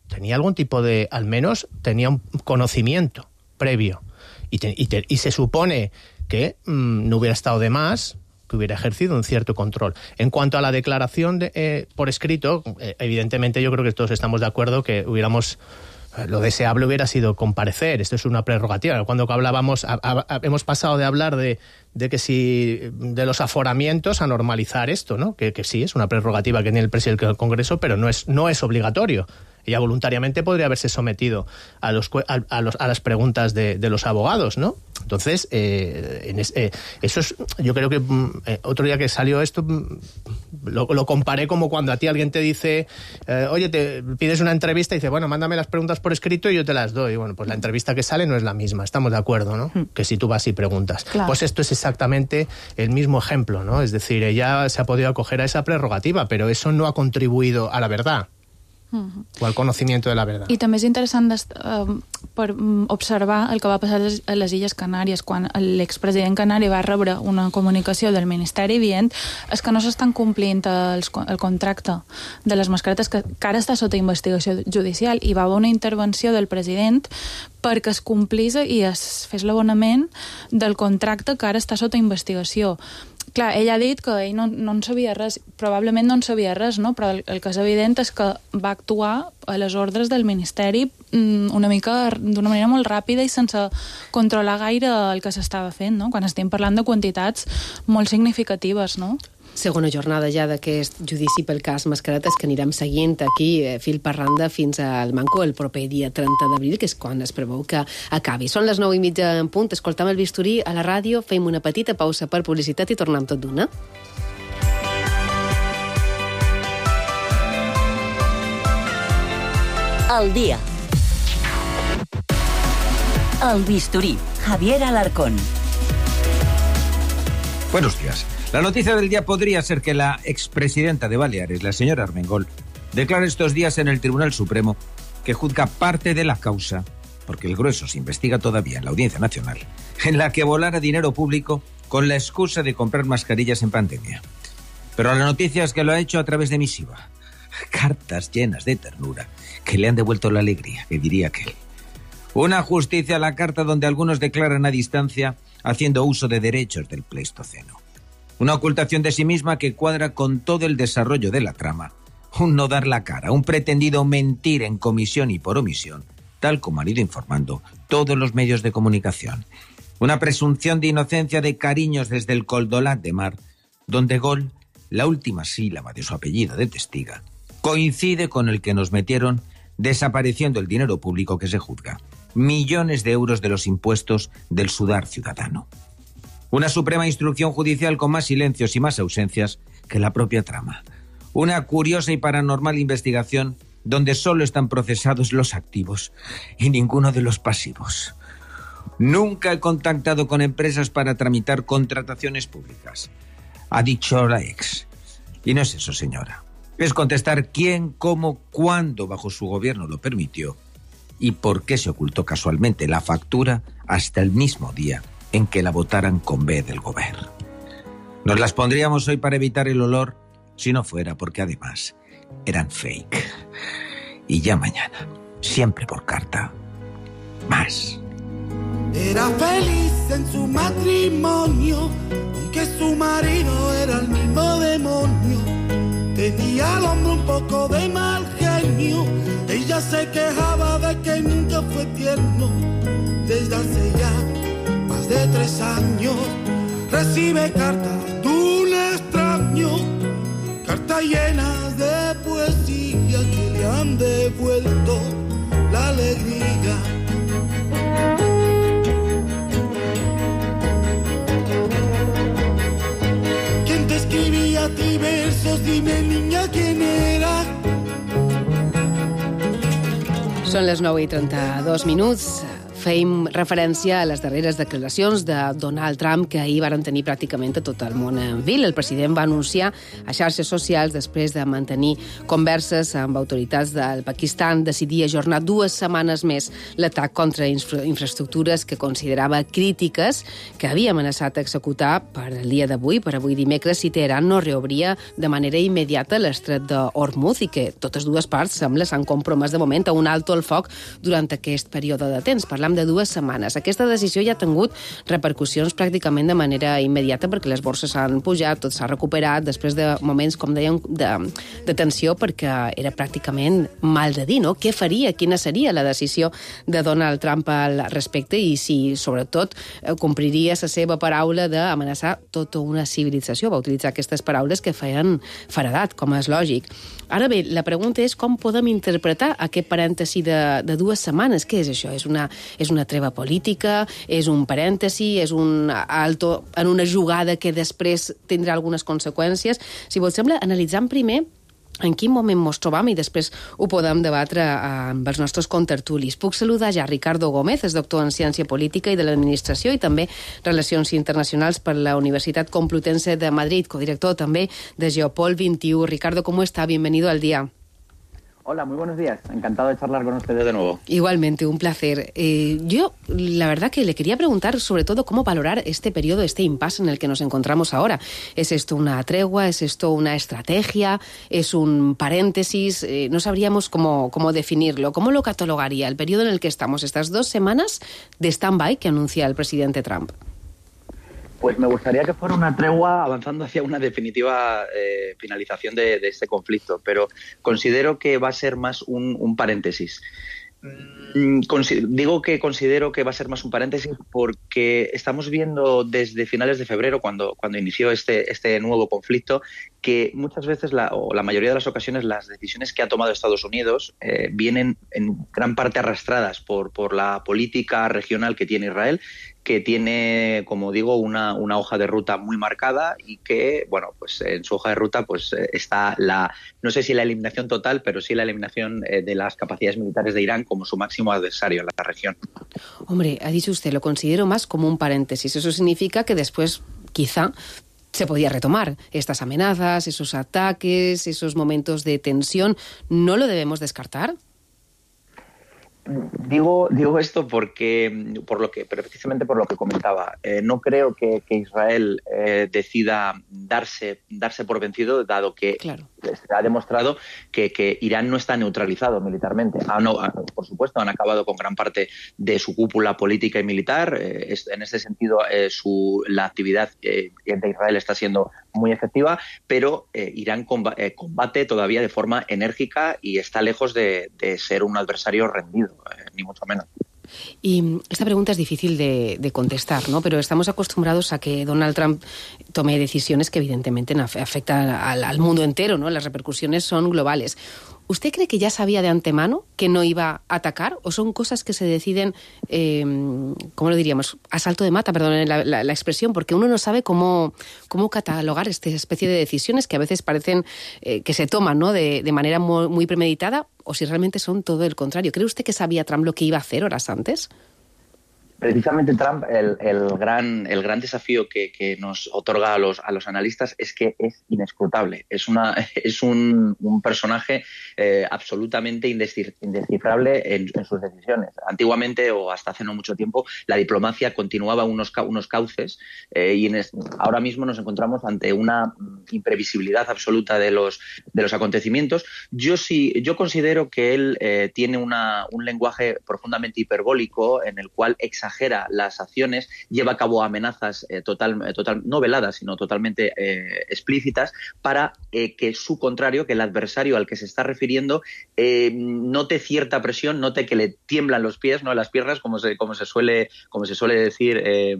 [SPEAKER 18] tenía algún tipo de, al menos tenía un conocimiento previo. Y, te, y, te, y se supone que mmm, no hubiera estado de más, que hubiera ejercido un cierto control. En cuanto a la declaración de, eh, por escrito, eh, evidentemente yo creo que todos estamos de acuerdo que hubiéramos... Lo deseable hubiera sido comparecer, esto es una prerrogativa. Cuando hablábamos, a, a, a, hemos pasado de hablar de, de que si de los aforamientos a normalizar esto, ¿no? Que, que sí, es una prerrogativa que tiene el presidente del Congreso, pero no es, no es obligatorio. Ella voluntariamente podría haberse sometido a, los, a, a, los, a las preguntas de, de los abogados, ¿no? Entonces, eh, en es, eh, eso es, yo creo que eh, otro día que salió esto, lo, lo comparé como cuando a ti alguien te dice, eh, oye, te pides una entrevista y dice, bueno, mándame las preguntas por escrito y yo te las doy. Bueno, pues la entrevista que sale no es la misma, estamos de acuerdo, ¿no? Mm. Que si tú vas y preguntas. Claro. Pues esto es exactamente el mismo ejemplo, ¿no? Es decir, ella se ha podido acoger a esa prerrogativa, pero eso no ha contribuido a la verdad.
[SPEAKER 17] Uh-huh.
[SPEAKER 18] o al conocimiento de la verdad.
[SPEAKER 17] I també és interessant uh, per um, observar el que va passar a les Illes Canàries quan l'expresident canari va rebre una comunicació del Ministeri dient és que no s'estan complint els, el contracte de les mascaretes que, que ara està sota investigació judicial i va haver una intervenció del president perquè es complís i es fes l'abonament del contracte que ara està sota investigació. Clar, ell ha dit que ell no, no en sabia res, probablement no en sabia res, no? Però el, el que és evident és que va actuar a les ordres del Ministeri una mica d'una manera molt ràpida i sense controlar gaire el que s'estava fent, no? Quan estem parlant de quantitats molt significatives, no?
[SPEAKER 9] Segona jornada ja d'aquest judici pel cas Mascaretes que anirem seguint aquí, eh, fil per randa, fins al Manco el proper dia trenta d'abril, que és quan es preveu que acabi. Són les nou i mitja en punt, escoltam el bisturí a la ràdio, fem una petita pausa per publicitat i tornem tot d'una.
[SPEAKER 15] El dia. El bisturí, Javier Alarcón.
[SPEAKER 19] Buenos días. La noticia del día podría ser que la expresidenta de Baleares, la señora Armengol, declara estos días en el Tribunal Supremo que juzga parte de la causa, porque el grueso se investiga todavía en la Audiencia Nacional, en la que volara dinero público con la excusa de comprar mascarillas en pandemia. Pero la noticia es que lo ha hecho a través de misiva. Cartas llenas de ternura que le han devuelto la alegría, que diría aquel. Una justicia a la carta donde algunos declaran a distancia haciendo uso de derechos del Pleistoceno. Una ocultación de sí misma que cuadra con todo el desarrollo de la trama. Un no dar la cara, un pretendido mentir en comisión y por omisión, tal como han ido informando todos los medios de comunicación. Una presunción de inocencia de cariños desde el Coldolat de Mar, donde Gol, la última sílaba de su apellido de testiga, coincide con el que nos metieron desapareciendo el dinero público que se juzga. Millones de euros de los impuestos del sudar ciudadano. Una suprema instrucción judicial con más silencios y más ausencias que la propia trama. Una curiosa y paranormal investigación donde solo están procesados los activos y ninguno de los pasivos. Nunca he contactado con empresas para tramitar contrataciones públicas, ha dicho la ex. Y no es eso, señora. Es contestar quién, cómo, cuándo bajo su gobierno lo permitió y por qué se ocultó casualmente la factura hasta el mismo día en que la votaran con B del gobierno. Nos las pondríamos hoy para evitar el olor si no fuera porque además eran fake. Y ya mañana, siempre por carta, más.
[SPEAKER 20] Era feliz en su matrimonio, aunque su marido era el mismo demonio. Tenía al hombre un poco de mal genio, ella se quejaba de que nunca fue tierno. Desde hace ya más de tres años recibe cartas de un extraño, cartas llenas de poesía que le han devuelto la alegría. ¿Quién te escribía a ti versos? Dime, niña, ¿quién era?
[SPEAKER 9] Són les nou i trenta-dos minuts. Fèiem referència a les darreres declaracions de Donald Trump que ahir varen tenir pràcticament a tot el món en vil. El president va anunciar a xarxes socials, després de mantenir converses amb autoritats del Pakistan, decidir ajornar dues setmanes més l'atac contra infra infraestructures que considerava crítiques, que havia amenaçat executar per el dia d'avui, per avui dimecres, si Teheran no reobria de manera immediata l'estret d'Hormuz i que totes dues parts sembla s'han compromès de moment a un alto al foc durant aquest període de temps. Parlam de dues setmanes. Aquesta decisió ja ha tingut repercussions pràcticament de manera immediata perquè les borses s'han pujat, tot s'ha recuperat després de moments, com dèiem, de, de tensió perquè era pràcticament mal de dir, no? Què faria? Quina seria la decisió de Donald Trump al respecte i si, sobretot, compliria la seva paraula d'amenaçar tota una civilització. Va utilitzar aquestes paraules que feien feredat, com és lògic. Ara bé, la pregunta és com podem interpretar aquest parèntesi de, de dues setmanes. Què és això? És una, és una treva política? És un parèntesi? És un alto en una jugada que després tindrà algunes conseqüències? Si vos sembla, analitzant primer en quin moment ens trobam i després ho podem debatre amb els nostres contertulis. Puc saludar ja Ricardo Gómez, és doctor en Ciència Política i de l'Administració i també Relacions Internacionals per la Universitat Complutense de Madrid, codirector també de Geopol vint i u. Ricardo, ¿cómo está? Bienvenido al día.
[SPEAKER 21] Hola, muy buenos días. Encantado de charlar con ustedes de nuevo.
[SPEAKER 9] Igualmente, un placer. Eh, yo, la verdad que le quería preguntar sobre todo cómo valorar este periodo, este impasse en el que nos encontramos ahora. ¿Es esto una tregua? ¿Es esto una estrategia? ¿Es un paréntesis? Eh, no sabríamos cómo, cómo definirlo. ¿Cómo lo catalogaría el periodo en el que estamos, estas dos semanas de stand-by que anuncia el presidente Trump?
[SPEAKER 21] Pues me gustaría que fuera una tregua avanzando hacia una definitiva eh, finalización de, de este conflicto, pero considero que va a ser más un, un paréntesis. Mm, digo que considero que va a ser más un paréntesis porque estamos viendo desde finales de febrero, cuando, cuando inició este, este nuevo conflicto, que muchas veces, la, o la mayoría de las ocasiones, las decisiones que ha tomado Estados Unidos eh, vienen en gran parte arrastradas por, por la política regional que tiene Israel, que tiene, como digo, una, una hoja de ruta muy marcada y que, bueno, pues en su hoja de ruta pues está la, no sé si la eliminación total, pero sí la eliminación eh, de las capacidades militares de Irán como su máximo adversario en la región.
[SPEAKER 9] Hombre, ha dicho usted, lo considero más como un paréntesis. Eso significa que después, quizá, se podía retomar estas amenazas, esos ataques, esos momentos de tensión. ¿No lo debemos descartar?
[SPEAKER 21] Digo, digo esto porque, por lo que, precisamente por lo que comentaba, eh, no creo que, que Israel eh, decida darse, darse por vencido, dado que claro. se ha demostrado que, que Irán no está neutralizado militarmente. Ah, no, ah, por supuesto, han acabado con gran parte de su cúpula política y militar. Eh, es, en ese sentido, eh, su, la actividad eh, de Israel está siendo muy efectiva, pero eh, Irán comba, eh, combate todavía de forma enérgica y está lejos de, de ser un adversario rendido. Ni mucho menos.
[SPEAKER 9] Y esta pregunta es difícil de, de contestar, ¿no? Pero estamos acostumbrados a que Donald Trump tome decisiones que evidentemente afectan al, al mundo entero, ¿no? Las repercusiones son globales. ¿Usted cree que ya sabía de antemano que no iba a atacar? ¿O son cosas que se deciden, eh, ¿cómo lo diríamos? A salto de mata, perdón la, la, la expresión, porque uno no sabe cómo, cómo catalogar esta especie de decisiones que a veces parecen eh, que se toman, ¿no? de, de manera muy, muy premeditada, o si realmente son todo el contrario. ¿Cree usted que sabía Trump lo que iba a hacer horas antes?
[SPEAKER 21] Precisamente Trump, el, el, gran, el gran desafío que, que nos otorga a los, a los analistas es que es inescrutable. Es, una, es un, un personaje eh, absolutamente indescifrable en, en sus decisiones. Antiguamente, o hasta hace no mucho tiempo, la diplomacia continuaba unos, unos cauces eh, y en es, ahora mismo nos encontramos ante una imprevisibilidad absoluta de los, de los acontecimientos. Yo, sí, yo considero que él eh, tiene una, un lenguaje profundamente hiperbólico en el cual exagera exagera las acciones, lleva a cabo amenazas eh, total, total, no veladas, sino totalmente eh, explícitas para eh, que su contrario, que el adversario al que se está refiriendo, eh, note cierta presión, note que le tiemblan los pies, no las piernas, como se, como se, suele, como se suele decir, eh,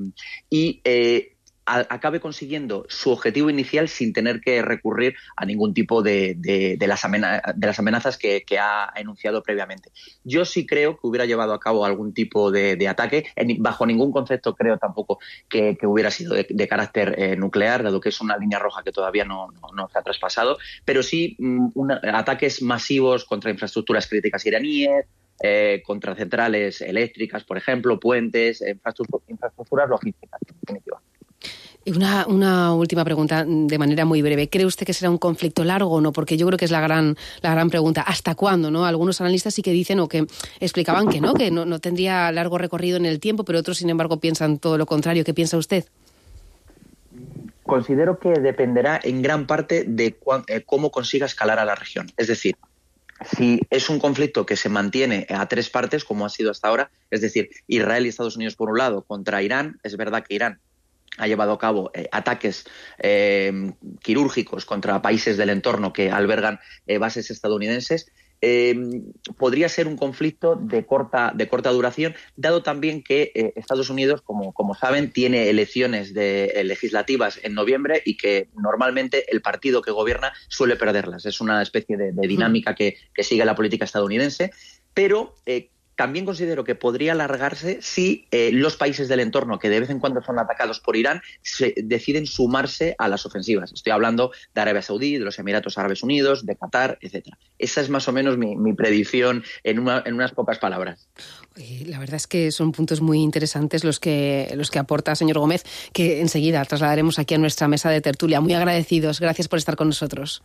[SPEAKER 21] y eh, acabe consiguiendo su objetivo inicial sin tener que recurrir a ningún tipo de, de, de, las, amenazas, de las amenazas que, que ha enunciado previamente. Yo sí creo que hubiera llevado a cabo algún tipo de, de ataque. En, bajo ningún concepto creo tampoco que, que hubiera sido de, de carácter eh, nuclear, dado que es una línea roja que todavía no, no, no se ha traspasado, pero sí um, una, ataques masivos contra infraestructuras críticas iraníes, eh, contra centrales eléctricas, por ejemplo, puentes, infraestructuras, infraestructuras logísticas, en definitiva.
[SPEAKER 9] Una, una última pregunta de manera muy breve. ¿Cree usted que será un conflicto largo o no? Porque yo creo que es la gran, la gran pregunta. ¿Hasta cuándo? ¿No? Algunos analistas sí que dicen o que explicaban que no, que no, no tendría largo recorrido en el tiempo, pero otros, sin embargo, piensan todo lo contrario. ¿Qué piensa usted?
[SPEAKER 21] Considero que dependerá en gran parte de cu- eh, cómo consiga escalar a la región. Es decir, si es un conflicto que se mantiene a tres partes, como ha sido hasta ahora, es decir, Israel y Estados Unidos por un lado contra Irán, es verdad que Irán ha llevado a cabo eh, ataques eh, quirúrgicos contra países del entorno que albergan eh, bases estadounidenses. Eh, podría ser un conflicto de corta, de corta duración, dado también que eh, Estados Unidos, como, como saben, tiene elecciones de, eh, legislativas en noviembre y que normalmente el partido que gobierna suele perderlas. Es una especie de, de dinámica que, que sigue la política estadounidense, pero eh, también considero que podría alargarse si eh, los países del entorno, que de vez en cuando son atacados por Irán, se deciden sumarse a las ofensivas. Estoy hablando de Arabia Saudí, de los Emiratos Árabes Unidos, de Qatar, etcétera. Esa es más o menos mi, mi predicción en, una, en unas pocas palabras.
[SPEAKER 9] La verdad es que son puntos muy interesantes los que, los que aporta señor Gómez, que enseguida trasladaremos aquí a nuestra mesa de tertulia. Muy agradecidos. Gracias por estar con nosotros.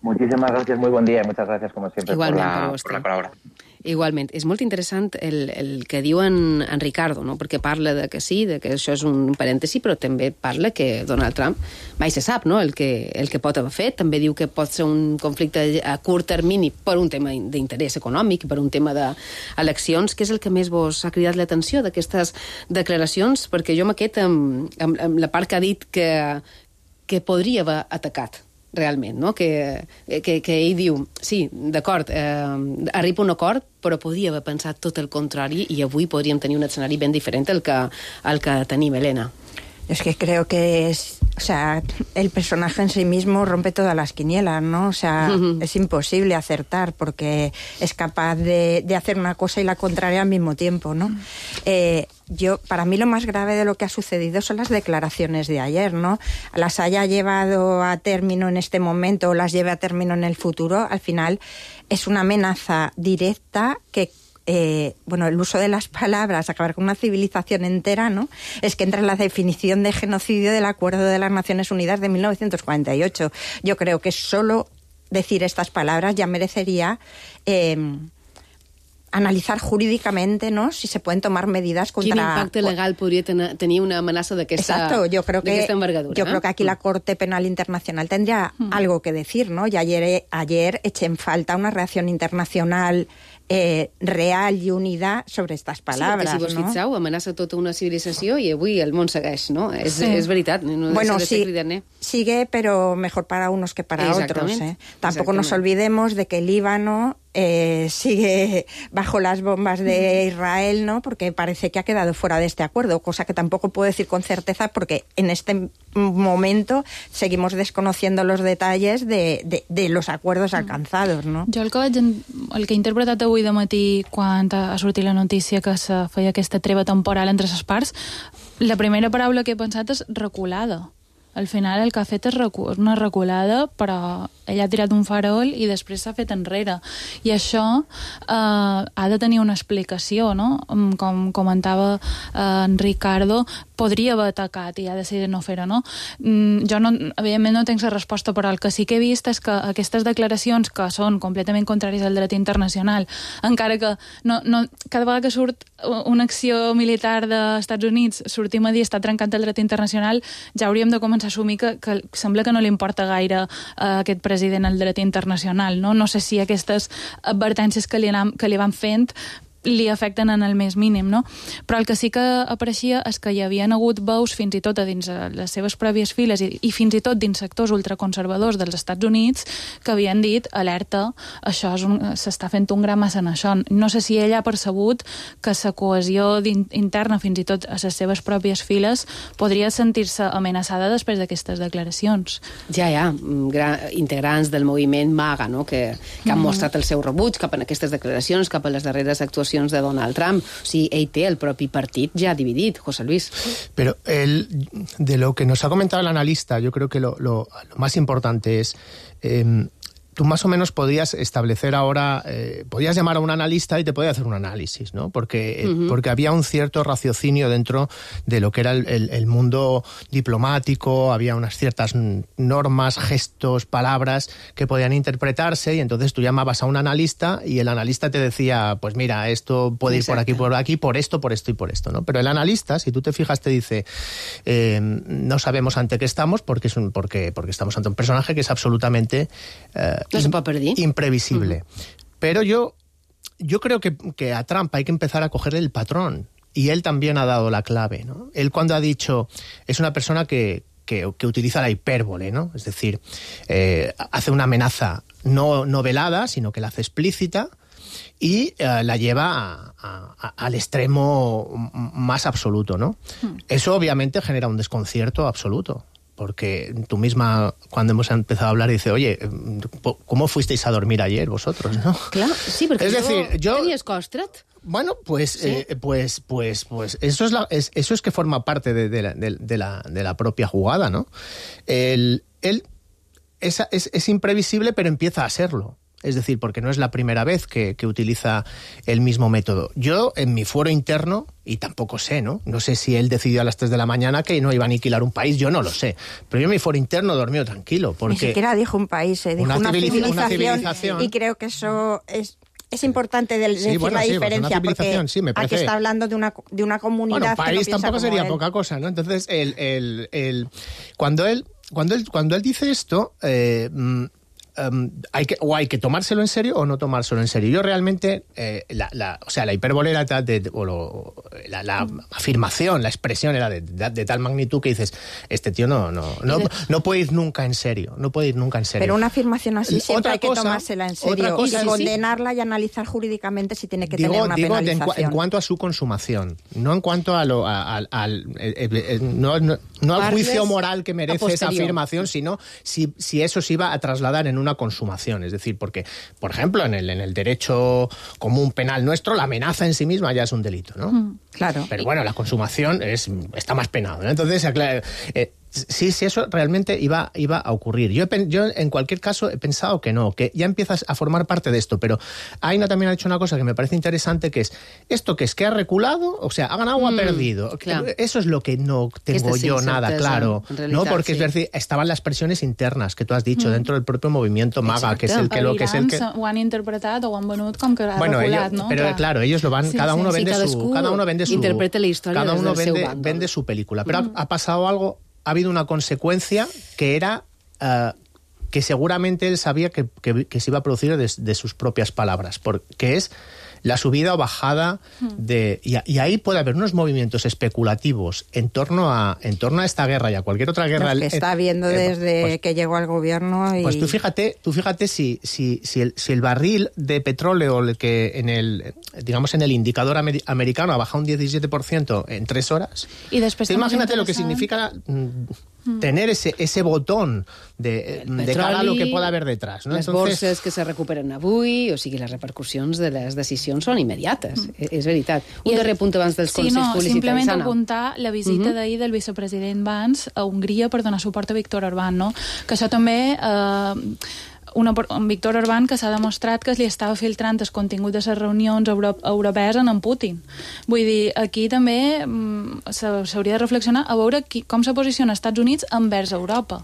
[SPEAKER 21] Muchísimas gracias, muy buen día y muchas gracias como siempre por la,
[SPEAKER 9] per
[SPEAKER 21] por la colaboración.
[SPEAKER 9] Igualment. És molt interessant el, el que diu en, en Ricardo, no? Perquè parla de que sí, de que això és un parèntesi, però també parla que Donald Trump mai se sap, no?, el que, el que pot haver fet. També diu que pot ser un conflicte a curt termini per un tema d'interès econòmic, per un tema d'eleccions. Què és el que més vos ha cridat l'atenció d'aquestes declaracions? Perquè jo m'aquest amb, amb, amb la part que ha dit que, que podria haver atacat realment, no? Que, que, que ell diu, sí, d'acord, eh, arriba un acord, però podia haver pensat tot el contrari i avui podríem tenir un escenari ben diferent al que, al que tenim, Elena.
[SPEAKER 16] Es que creo que es, o sea, el personaje en sí mismo rompe todas las quinielas, ¿no? O sea, uh-huh. es imposible acertar porque es capaz de, de hacer una cosa y la contraria al mismo tiempo, ¿no? Uh-huh. Eh, yo, para mí lo más grave de lo que ha sucedido son las declaraciones de ayer, ¿no? Las haya llevado a término en este momento o las lleve a término en el futuro, al final es una amenaza directa que Eh, bueno, el uso de las palabras, acabar con una civilización entera, ¿no? Es que entra en la definición de genocidio del Acuerdo de las Naciones Unidas de mil novecientos cuarenta y ocho. Yo creo que solo decir estas palabras ya merecería eh, analitzar jurídicamente, ¿no?, si se pueden tomar medidas contra...
[SPEAKER 9] Quin impacte legal podria ten tenir una amenaça d'aquesta envergadura?
[SPEAKER 16] Yo creo que aquí la Corte Penal Internacional tendría mm. algo que decir, ¿no? Y ayer, ayer eché en falta una reacción internacional eh, real i unida sobre estas palabras,
[SPEAKER 9] sí, perquè si vos
[SPEAKER 16] no?
[SPEAKER 9] fixeu, amenaça tota una civilització i avui el món segueix, no? És, sí. és veritat, no
[SPEAKER 16] bueno,
[SPEAKER 9] deixa de
[SPEAKER 16] sí,
[SPEAKER 9] ser cridaner.
[SPEAKER 16] Sigue, pero mejor para unos que para otros, ¿eh? Tampoco nos olvidemos de que el Líbano Eh, sigue bajo las bombas de Israel, ¿no? Porque parece que ha quedado fuera de este acuerdo, cosa que tampoco puedo decir con certeza porque en este momento seguimos desconociendo los detalles de, de, de los acuerdos alcanzados, ¿no?
[SPEAKER 17] Jo el que, vaig, el que he interpretat avui de matí quan ha sortit la notícia que se feia aquesta treva temporal entre les parts, la primera paraula que he pensat és reculada. Al final el que ha fet és recu una reculada, però ell ha tirat un farol i després s'ha fet enrere. I això eh, ha de tenir una explicació, no? Com comentava eh, en Ricardo, podria haver atacat i ha decidit no fer-ho, no? Mm, jo, no, evidentment, no tinc la resposta, però el que sí que he vist és que aquestes declaracions, que són completament contràries al dret internacional, encara que no, no, cada vegada que surt una acció militar dels Estats Units, sortim a dir està trencant el dret internacional, ja hauríem de començar a assumir que, que sembla que no li importa gaire a aquest president el dret internacional, no? No sé si aquestes advertències que li, anam, que li van fent li afecten en el més mínim, no? Però el que sí que apareixia és que hi havia hagut veus fins i tot a dins les seves pròpies files i, i fins i tot dins sectors ultraconservadors dels Estats Units que havien dit, alerta, això s'està fent un gra massa en això. No sé si ell ha percebut que la cohesió interna fins i tot a les seves pròpies files podria sentir-se amenaçada després d'aquestes declaracions.
[SPEAKER 9] Ja, ja, integrants del moviment MAGA, no?, que, que han mostrat el seu rebuig cap a aquestes declaracions, cap a les darreres actuacions de Donald Trump. O sigui, ell té el propi partit ja dividit, José Luis.
[SPEAKER 18] Pero el, de lo que nos ha comentado el analista, yo creo que lo, lo, lo más importante es... Eh, tú más o menos podrías establecer ahora, eh, podrías llamar a un analista y te podía hacer un análisis, ¿no? Porque, uh-huh. porque había un cierto raciocinio dentro de lo que era el, el, el mundo diplomático, había unas ciertas normas, gestos, palabras que podían interpretarse y entonces tú llamabas a un analista y el analista te decía, pues mira, esto puede ir por aquí, por aquí, por esto, por esto y por esto, ¿no? Pero el analista, si tú te fijas, te dice, eh, no sabemos ante qué estamos porque, es un, porque, porque estamos ante un personaje que es absolutamente... Eh,
[SPEAKER 9] No se puede perder.
[SPEAKER 18] Imprevisible. Uh-huh. Pero yo, yo creo que, que a Trump hay que empezar a cogerle el patrón. Y él también ha dado la clave, ¿no? Él cuando ha dicho, es una persona que, que, que utiliza la hipérbole, ¿no? Es decir, eh, hace una amenaza no, no velada, sino que la hace explícita y eh, la lleva a, a, a, al extremo más absoluto, ¿no? Uh-huh. Eso obviamente genera un desconcierto absoluto. Porque tú misma, cuando hemos empezado a hablar, dice, oye, ¿cómo fuisteis a dormir ayer vosotros, no?
[SPEAKER 9] Claro, sí, porque
[SPEAKER 18] es
[SPEAKER 9] yo,
[SPEAKER 18] decir, yo
[SPEAKER 9] tenías costrat.
[SPEAKER 18] Bueno, pues, ¿sí? eh, pues, pues, pues, eso es la, es, eso es que forma parte de, de, la, de, de, la, de la propia jugada, ¿no? El, él es, es, es imprevisible, pero empieza a serlo. es decir, porque no es la primera vez que, que utiliza el mismo método. Yo, en mi fuero interno, y tampoco sé, ¿no? No sé si él decidió a las tres de la mañana que no iba a aniquilar un país, yo no lo sé. Pero yo en mi fuero interno dormido tranquilo, porque...
[SPEAKER 16] Ni siquiera dijo un país, eh, dijo
[SPEAKER 18] una,
[SPEAKER 16] una,
[SPEAKER 18] civiliz-
[SPEAKER 16] civilización,
[SPEAKER 18] una civilización.
[SPEAKER 16] Y creo que eso es... Es importante de,
[SPEAKER 18] Sí,
[SPEAKER 16] decir
[SPEAKER 18] bueno,
[SPEAKER 16] la
[SPEAKER 18] sí,
[SPEAKER 16] diferencia,
[SPEAKER 18] pues
[SPEAKER 16] porque
[SPEAKER 18] sí, me parece...
[SPEAKER 16] aquí está hablando de una, de una comunidad
[SPEAKER 18] bueno,
[SPEAKER 16] país
[SPEAKER 18] que no piensa tampoco
[SPEAKER 16] como
[SPEAKER 18] sería
[SPEAKER 16] él.
[SPEAKER 18] poca cosa, ¿no? Entonces, el, el, el, cuando él cuando él cuando él dice esto, eh, Um, hay que, o hay que tomárselo en serio o no tomárselo en serio. Yo realmente, eh, la, la, o sea, la hiperbolera de, de, o lo, la, la afirmación, la expresión era de, de, de tal magnitud que dices, este tío no, no, no, no puede ir nunca en serio, no puede ir nunca en serio.
[SPEAKER 16] Pero una afirmación así siempre
[SPEAKER 18] otra
[SPEAKER 16] hay que
[SPEAKER 18] cosa,
[SPEAKER 16] tomársela en serio
[SPEAKER 18] otra cosa
[SPEAKER 16] y
[SPEAKER 18] es,
[SPEAKER 16] condenarla y analizar jurídicamente si tiene que
[SPEAKER 18] digo,
[SPEAKER 16] tener una
[SPEAKER 18] digo
[SPEAKER 16] penalización.
[SPEAKER 18] En, en cuanto a su consumación, no en cuanto a lo, a, a, al, eh, eh, no, no, no al juicio moral que merece esa afirmación, sino si, si eso se iba a trasladar en una consumación. Es decir, porque, por ejemplo, en el, en el derecho común penal nuestro, la amenaza en sí misma ya es un delito, ¿no?
[SPEAKER 16] Mm, claro.
[SPEAKER 18] Pero bueno, la consumación es, está más penado, ¿no? Entonces, eh, sí, sí, eso realmente iba, iba a ocurrir. Yo, yo, en cualquier caso, he pensado que no, que ya empiezas a formar parte de esto, pero Aina también ha dicho una cosa que me parece interesante, que es, ¿esto que es? ¿Que ha reculado? O sea, ¿ha ganado o ha
[SPEAKER 9] Mm,
[SPEAKER 18] perdido?
[SPEAKER 9] clar.
[SPEAKER 18] Eso es lo que no tengo yo nada claro,
[SPEAKER 9] realitat,
[SPEAKER 18] ¿no? Porque
[SPEAKER 9] sí.
[SPEAKER 18] es decir, estaban las presiones internas que tú has dicho,
[SPEAKER 17] Mm.
[SPEAKER 18] dentro del propio movimiento MAGA, que es el que lo que es el que...
[SPEAKER 17] ho han interpretat o ho han venut com que ha
[SPEAKER 18] Bueno,
[SPEAKER 17] reculat,
[SPEAKER 18] ellos,
[SPEAKER 17] no?
[SPEAKER 18] pero
[SPEAKER 17] Clar.
[SPEAKER 18] claro, ellos lo van,
[SPEAKER 17] Sí,
[SPEAKER 18] cada
[SPEAKER 17] sí,
[SPEAKER 18] uno
[SPEAKER 17] sí,
[SPEAKER 18] vende su,
[SPEAKER 9] cadascú
[SPEAKER 18] cada uno vende su,
[SPEAKER 9] interpreta la història
[SPEAKER 18] cada
[SPEAKER 9] des
[SPEAKER 18] uno
[SPEAKER 9] del seu
[SPEAKER 18] vende,
[SPEAKER 9] bàndol.
[SPEAKER 18] vende su película. Pero
[SPEAKER 17] Mm.
[SPEAKER 18] ha, ha pasado algo, ha habido una consecuencia que era uh, que seguramente él sabía que, que, que se iba a producir de, de sus propias palabras, porque es la subida o bajada de... Y, y ahí puede haber unos movimientos especulativos en torno a, en torno a esta guerra y a cualquier otra guerra...
[SPEAKER 16] Los que está
[SPEAKER 18] eh,
[SPEAKER 16] viendo
[SPEAKER 18] eh,
[SPEAKER 16] desde
[SPEAKER 18] pues,
[SPEAKER 16] que llegó al gobierno y...
[SPEAKER 18] Pues tú fíjate, tú fíjate si, si, si, el, si el barril de petróleo el que en el, digamos, en el indicador amer, americano ha bajado un diecisiete por ciento en tres horas.
[SPEAKER 17] Y després
[SPEAKER 18] Tú imagínate lo que significa mm, tener ese, ese botón de, de cara a lo que pueda haber detrás, ¿no?
[SPEAKER 9] Les
[SPEAKER 18] Entonces,
[SPEAKER 9] borses que se recuperen avui, o sigui, les repercussions de les decisions són immediates, mm. és veritat. Un
[SPEAKER 17] I
[SPEAKER 9] darrer punt abans dels
[SPEAKER 17] sí,
[SPEAKER 9] consells
[SPEAKER 17] no,
[SPEAKER 9] publicitaris,
[SPEAKER 17] simplement
[SPEAKER 9] Anna.
[SPEAKER 17] apuntar la visita
[SPEAKER 9] Mhm.
[SPEAKER 17] d'ahir del vicepresident Vance a Hongria per donar suport a Víctor Orbán, no? Que això també... Eh, una, un Víctor Orbán que s'ha demostrat que li estava filtrant el contingut de les reunions euro, europees en en Putin. Vull dir, aquí també mm, s'hauria de reflexionar a veure qui, com se posiciona els Estats Units envers Europa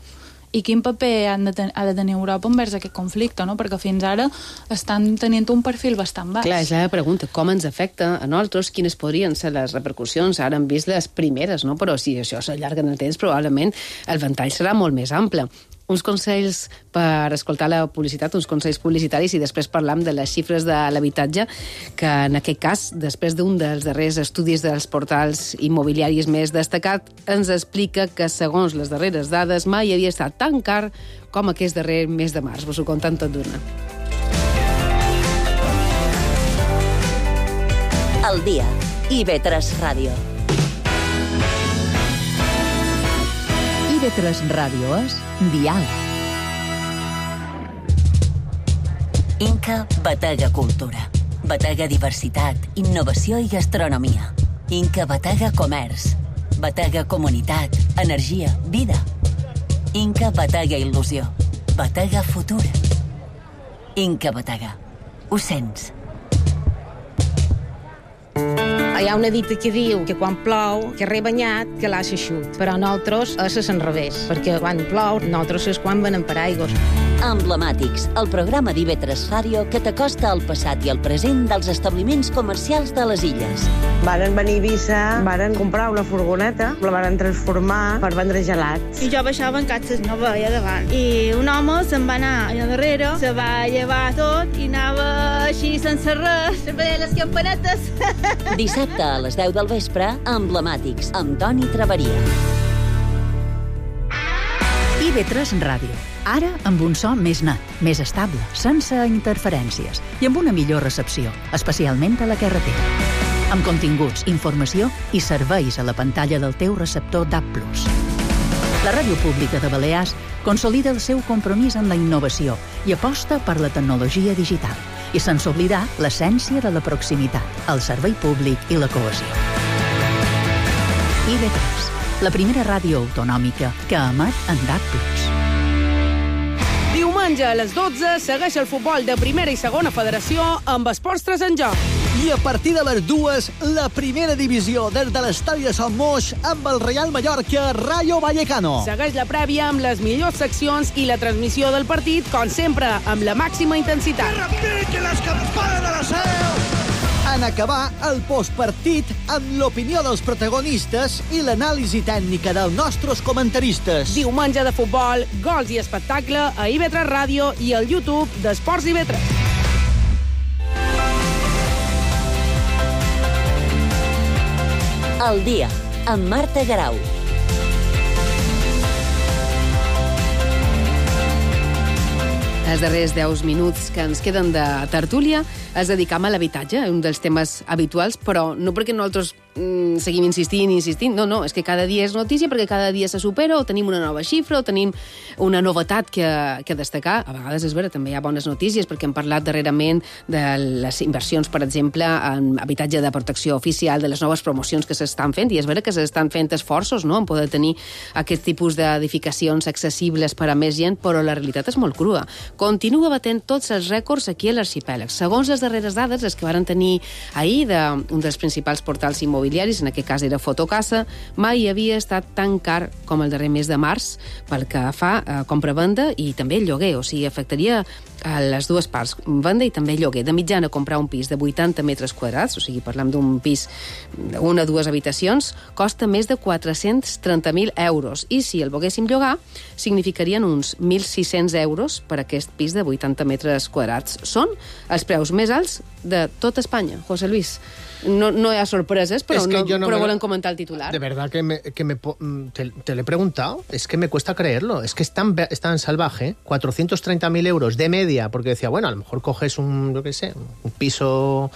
[SPEAKER 17] i quin paper han de ten, ha de tenir Europa envers aquest conflicte, no? Perquè fins ara estan tenint un perfil bastant baix.
[SPEAKER 9] Clar, és la pregunta, com ens afecta a nosaltres, quines podrien ser les repercussions? Ara hem vist les primeres, no? Però si això s'allarga en el temps, probablement el ventall serà molt més ample. Uns consells per escoltar la publicitat, uns consells publicitaris, i després parlam de les xifres de l'habitatge, que en aquest cas, després d'un dels darrers estudis dels portals immobiliaris més destacat, ens explica que, segons les darreres dades, mai havia estat tan car com aquest darrer mes de març. Vos ho conten tot d'una.
[SPEAKER 15] El dia. I ve tres Ràdio.
[SPEAKER 1] I ve tres Ràdio és Dial.
[SPEAKER 15] Inca Batega Cultura. Batega Diversitat, Innovació i Gastronomia. Inca Batega Comerç. Batega Comunitat, Energia, Vida. Inca Batega Il·lusió. Batega Futur. Inca Batega. Ho sents?
[SPEAKER 4] Hi ha una dita que diu que quan plou, que re banyat, que l'ha eixut. Però nosaltres és al revés, perquè quan plou, nosaltres és quan venen per aigües.
[SPEAKER 15] Emblemàtics, el programa d'I V tres Ràdio que t'acosta al passat i al present dels establiments comercials de les illes.
[SPEAKER 22] Varen venir a Eivissa, varen comprar una furgoneta, la varen transformar per vendre gelats.
[SPEAKER 23] I jo baixava en catxes, no veia davant. I un home se'n va anar allà darrere, se va llevar tot i anava així sense res, se veia les campanetes.
[SPEAKER 15] Dissabte a les deu del vespre, Emblemàtics, amb Toni Traveria.
[SPEAKER 1] I V tres Ràdio. Ara amb un so més net, més estable, sense interferències i amb una millor recepció, especialment a la carretera. Amb continguts, informació i serveis a la pantalla del teu receptor D A B plus. La Ràdio Pública de Balears consolida el seu compromís amb la innovació i aposta per la tecnologia digital, i sense oblidar l'essència de la proximitat, el servei públic i la cohesió. I V tres, la primera ràdio autonòmica que emet en D A B plus.
[SPEAKER 24] Diumenge
[SPEAKER 2] diumenge a les dotze segueix el futbol de primera i segona federació amb Esports tres en joc.
[SPEAKER 3] I a partir de les dues, la primera divisió des de l'estadi de Son Moix amb el Real Mallorca Rayo Vallecano.
[SPEAKER 2] Segueix la prèvia amb les millors seccions i la transmissió del partit, com sempre, amb la màxima intensitat.
[SPEAKER 3] Que repiquen les campanes de la seu! En acabar el postpartit amb l'opinió dels protagonistes i l'anàlisi tècnica dels nostres comentaristes.
[SPEAKER 2] Diumenge de futbol, gols i espectacle a I V tres Ràdio i al YouTube d'Esports I V tres.
[SPEAKER 15] El dia, amb Marta Garau.
[SPEAKER 9] Els darrers deu minuts que ens queden de tertúlia els dedicam a l'habitatge, un dels temes habituals, però no perquè nosaltres mm, seguim insistint i insistint, no, no, és que cada dia és notícia perquè cada dia se supera o tenim una nova xifra o tenim una novetat que, que destacar. A vegades és vera, també hi ha bones notícies perquè hem parlat darrerament de les inversions, per exemple, en habitatge de protecció oficial, de les noves promocions que s'estan fent, i és vera que s'estan fent esforços, no?, en poder tenir aquest tipus d'edificacions accessibles per a més gent, però la realitat és molt crua. Continua batent tots els rècords aquí a l'arxipèlag. Segons les darreres dades, les que varen tenir ahir d'un dels principals portals immobiliaris, en aquest cas era Fotocasa, mai havia estat tan car com el darrer mes de març pel que fa a compra-venda i també el lloguer, o sigui, afectaria a les dues parts, venda i també lloguer. De mitjana, comprar un pis de vuitanta metres quadrats, o sigui, parlem d'un pis d'una o dues habitacions, costa més de quatre-cents trenta mil euros. I si el volguéssim llogar, significarien uns mil sis-cents euros per aquest pis de vuitanta metres quadrats. Són els preus més alts de tot Espanya. José Luis, no, no hi ha sorpreses, però, no, no però me... volen comentar el titular.
[SPEAKER 18] De verdad que, me, que me, te, te lo he preguntado, es que me cuesta creerlo, es que es tan, es tan salvaje, cuatrocientos treinta mil euros de media, porque decía, bueno, a lo mejor coges un, yo qué sé, un piso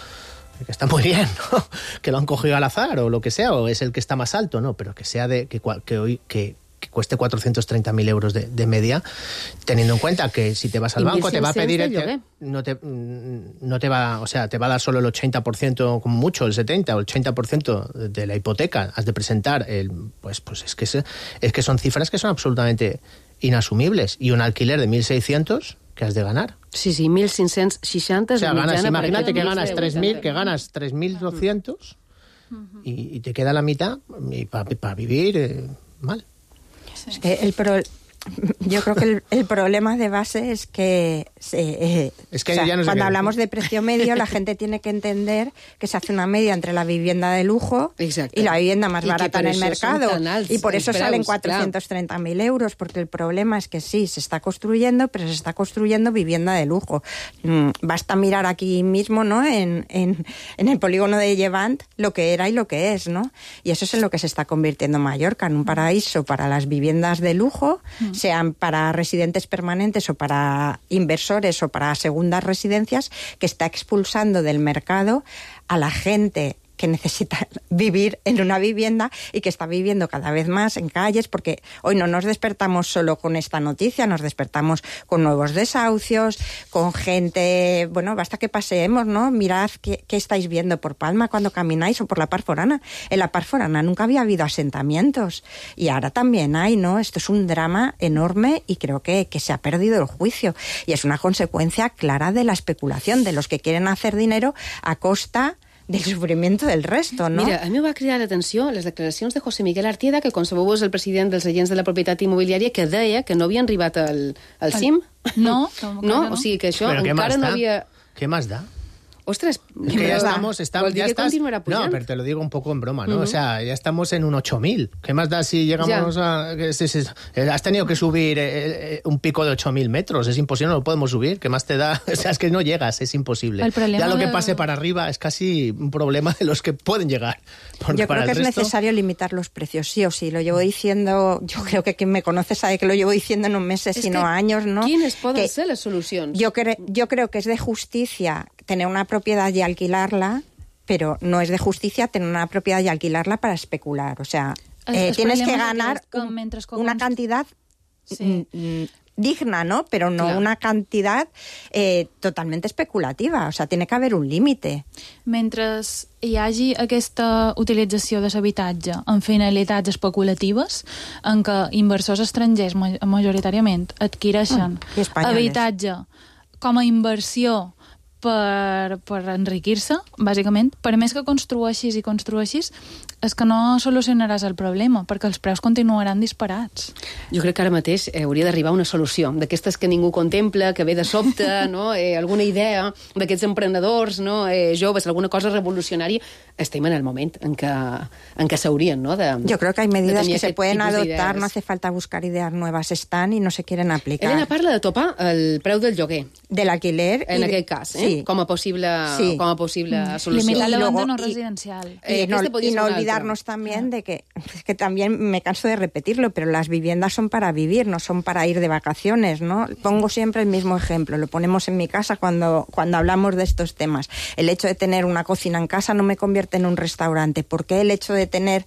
[SPEAKER 18] que está muy bien, ¿no?, que lo han cogido al azar o lo que sea, o es el que está más alto, no, pero que sea de, que, que hoy, que que cueste cuatrocientos treinta mil euros de, de media, teniendo en cuenta que si te vas al banco te va a pedir el, te, no te no te va, o sea, te va a dar solo el ochenta por ciento, como mucho el setenta o el ochenta por ciento de la hipoteca, has de presentar el, pues pues es que es, es que son cifras que son absolutamente inasumibles, y un alquiler de mil seiscientos que has de ganar.
[SPEAKER 9] Sí, sí, mil cinc-cents seixanta.
[SPEAKER 18] O sea, ganas, imagínate que ganas tres mil, que ganas tres mil doscientos uh-huh. y, y te queda la mitad y para pa vivir eh, mal.
[SPEAKER 16] Es que el pro... Yo creo que el, el problema de base es que, eh, es que o sea, ya no cuando hablamos de precio medio, la gente tiene que entender que se hace una media entre la vivienda de lujo Exacto. y la vivienda más y barata en el mercado. Y por eso salen cuatrocientos treinta mil euros, porque el problema es que sí, se está construyendo, pero se está construyendo vivienda de lujo. Mm, basta mirar aquí mismo, ¿no?, en, en, en el polígono de Llevant, lo que era y lo que es, ¿no? Y eso es en lo que se está convirtiendo Mallorca, en un paraíso para las viviendas de lujo, mm. sean para residentes permanentes o para inversores o para segundas residencias, que está expulsando del mercado a la gente que necesita vivir en una vivienda y que está viviendo cada vez más en calles, porque hoy no nos despertamos solo con esta noticia, nos despertamos con nuevos desahucios, con gente, bueno, basta que paseemos, ¿no? Mirad qué, qué estáis viendo por Palma cuando camináis o por la Par Forana. En la Par Forana nunca había habido asentamientos y ahora también hay, ¿no? Esto es un drama enorme y creo que, que se ha perdido el juicio y es una consecuencia clara de la especulación de los que quieren hacer dinero a costa del sofriment del resto, no?
[SPEAKER 9] Mira, a mi va cridar l'atenció les declaracions de José Miguel Artieda, que, com sabeu, és el president dels agents de la propietat immobiliària, que deia que no havien arribat al, al cim.
[SPEAKER 17] No,
[SPEAKER 9] no, no, o sigui que això encara no havia...
[SPEAKER 18] ¿Qué más da?
[SPEAKER 9] Ostras,
[SPEAKER 18] es que ya estamos, estamos ya estás, no, pero te lo digo un poco en broma, ¿no? Uh-huh. O sea, ya estamos en un ocho mil. ¿Qué más da si llegamos ya. a... Que, si, si, has tenido que subir eh, un pico de ocho mil metros, es imposible, no lo podemos subir. ¿Qué más te da? O sea, es que no llegas, es imposible. Ya lo que pase para arriba es casi un problema de los que pueden llegar.
[SPEAKER 16] Por, yo creo que es resto... necesario limitar los precios, sí o sí. Lo llevo diciendo, yo creo que quien me conoce sabe que lo llevo diciendo no meses, es sino años, ¿no?
[SPEAKER 9] ¿Quiénes pueden ser las soluciones?
[SPEAKER 16] Yo, cre yo creo que es de justicia tener una propiedad y alquilarla, pero no es de justicia tener una propiedad y alquilarla para especular. O sea, eh, tienes que ganar un, una cantidad sí. digna, ¿no? Pero no claro. una cantidad eh, totalmente especulativa. O sea, tiene que haver un límite.
[SPEAKER 17] Mentre hi hagi aquesta utilització de l'habitatge en finalitats especulatives, en què inversors estrangers majoritàriament adquireixen mm, habitatge com a inversió per, per enriquir-se, bàsicament, per més que construeixis i construeixis, és que no solucionaràs el problema, perquè els preus continuaran disparats.
[SPEAKER 9] Jo crec que ara mateix eh, hauria d'arribar una solució, d'aquestes que ningú contempla, que ve de sobte, no? eh, alguna idea d'aquests emprenedors, no? eh, joves, alguna cosa revolucionària. Estem en el moment en què, en què s'haurien, ¿no? De,
[SPEAKER 16] Yo creo que hay medidas que se pueden adoptar, no hace falta buscar ideas nuevas, están y no se quieren aplicar.
[SPEAKER 9] Elena parla de topar el preu del lloguer.
[SPEAKER 16] Del alquiler.
[SPEAKER 9] En
[SPEAKER 16] y
[SPEAKER 9] aquest cas, eh?
[SPEAKER 16] Sí.
[SPEAKER 9] Com a possible,
[SPEAKER 16] sí.
[SPEAKER 9] com a possible
[SPEAKER 17] mm.
[SPEAKER 9] solució.
[SPEAKER 17] Limitar la
[SPEAKER 16] luego,
[SPEAKER 17] venda no
[SPEAKER 16] y,
[SPEAKER 17] residencial.
[SPEAKER 16] Y,
[SPEAKER 9] eh,
[SPEAKER 16] no,
[SPEAKER 9] este
[SPEAKER 16] y no olvidarnos también de que, que también me canso de repetirlo, pero las viviendas son para vivir, no son para ir de vacaciones, ¿no? Pongo siempre el mismo ejemplo, lo ponemos en mi casa cuando, cuando hablamos de estos temas. El hecho de tener una cocina en casa no me convierte en un restaurante. ¿Por qué el hecho de tener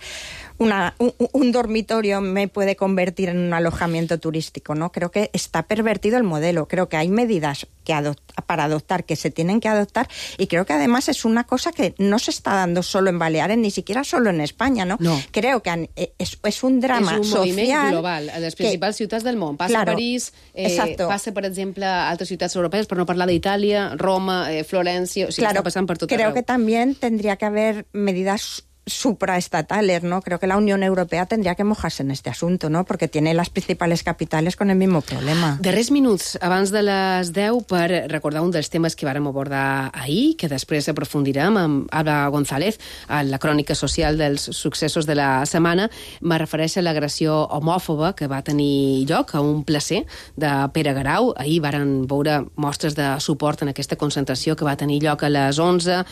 [SPEAKER 16] una, un, un dormitorio me puede convertir en un alojamiento turístico? ¿No? Creo que está pervertido el modelo. Creo que hay medidas que adopt, para adoptar que se tienen que adoptar, y creo que además es una cosa que no se está dando solo en Baleares, ni siquiera solo en España, ¿no?
[SPEAKER 9] no.
[SPEAKER 16] Creo que han, es, es un drama
[SPEAKER 9] social... És un moviment
[SPEAKER 16] social
[SPEAKER 9] global a les principals que, ciutats del món. Passa
[SPEAKER 16] claro,
[SPEAKER 9] a París, eh, passa, per exemple, a altres ciutats europees, per no parlar d'Itàlia, Roma, eh, Florència... O sigui,
[SPEAKER 16] claro,
[SPEAKER 9] està passant per tot
[SPEAKER 16] creo
[SPEAKER 9] arreu.
[SPEAKER 16] que también tendría que haber medidas supraestatales, ¿no? Creo que la Unión Europea tendría que mojarse en este asunto, ¿no? Porque tiene las principales capitales con el mismo problema.
[SPEAKER 9] Darrers minuts abans de les deu per recordar un dels temes que vàrem abordar ahir, que després aprofundirem amb Alba González a la crònica social dels successos de la setmana. Me refereix a l'agressió homòfoba que va tenir lloc a un placer de Pere Garau. Ahir varen veure mostres de suport en aquesta concentració que va tenir lloc a les onze.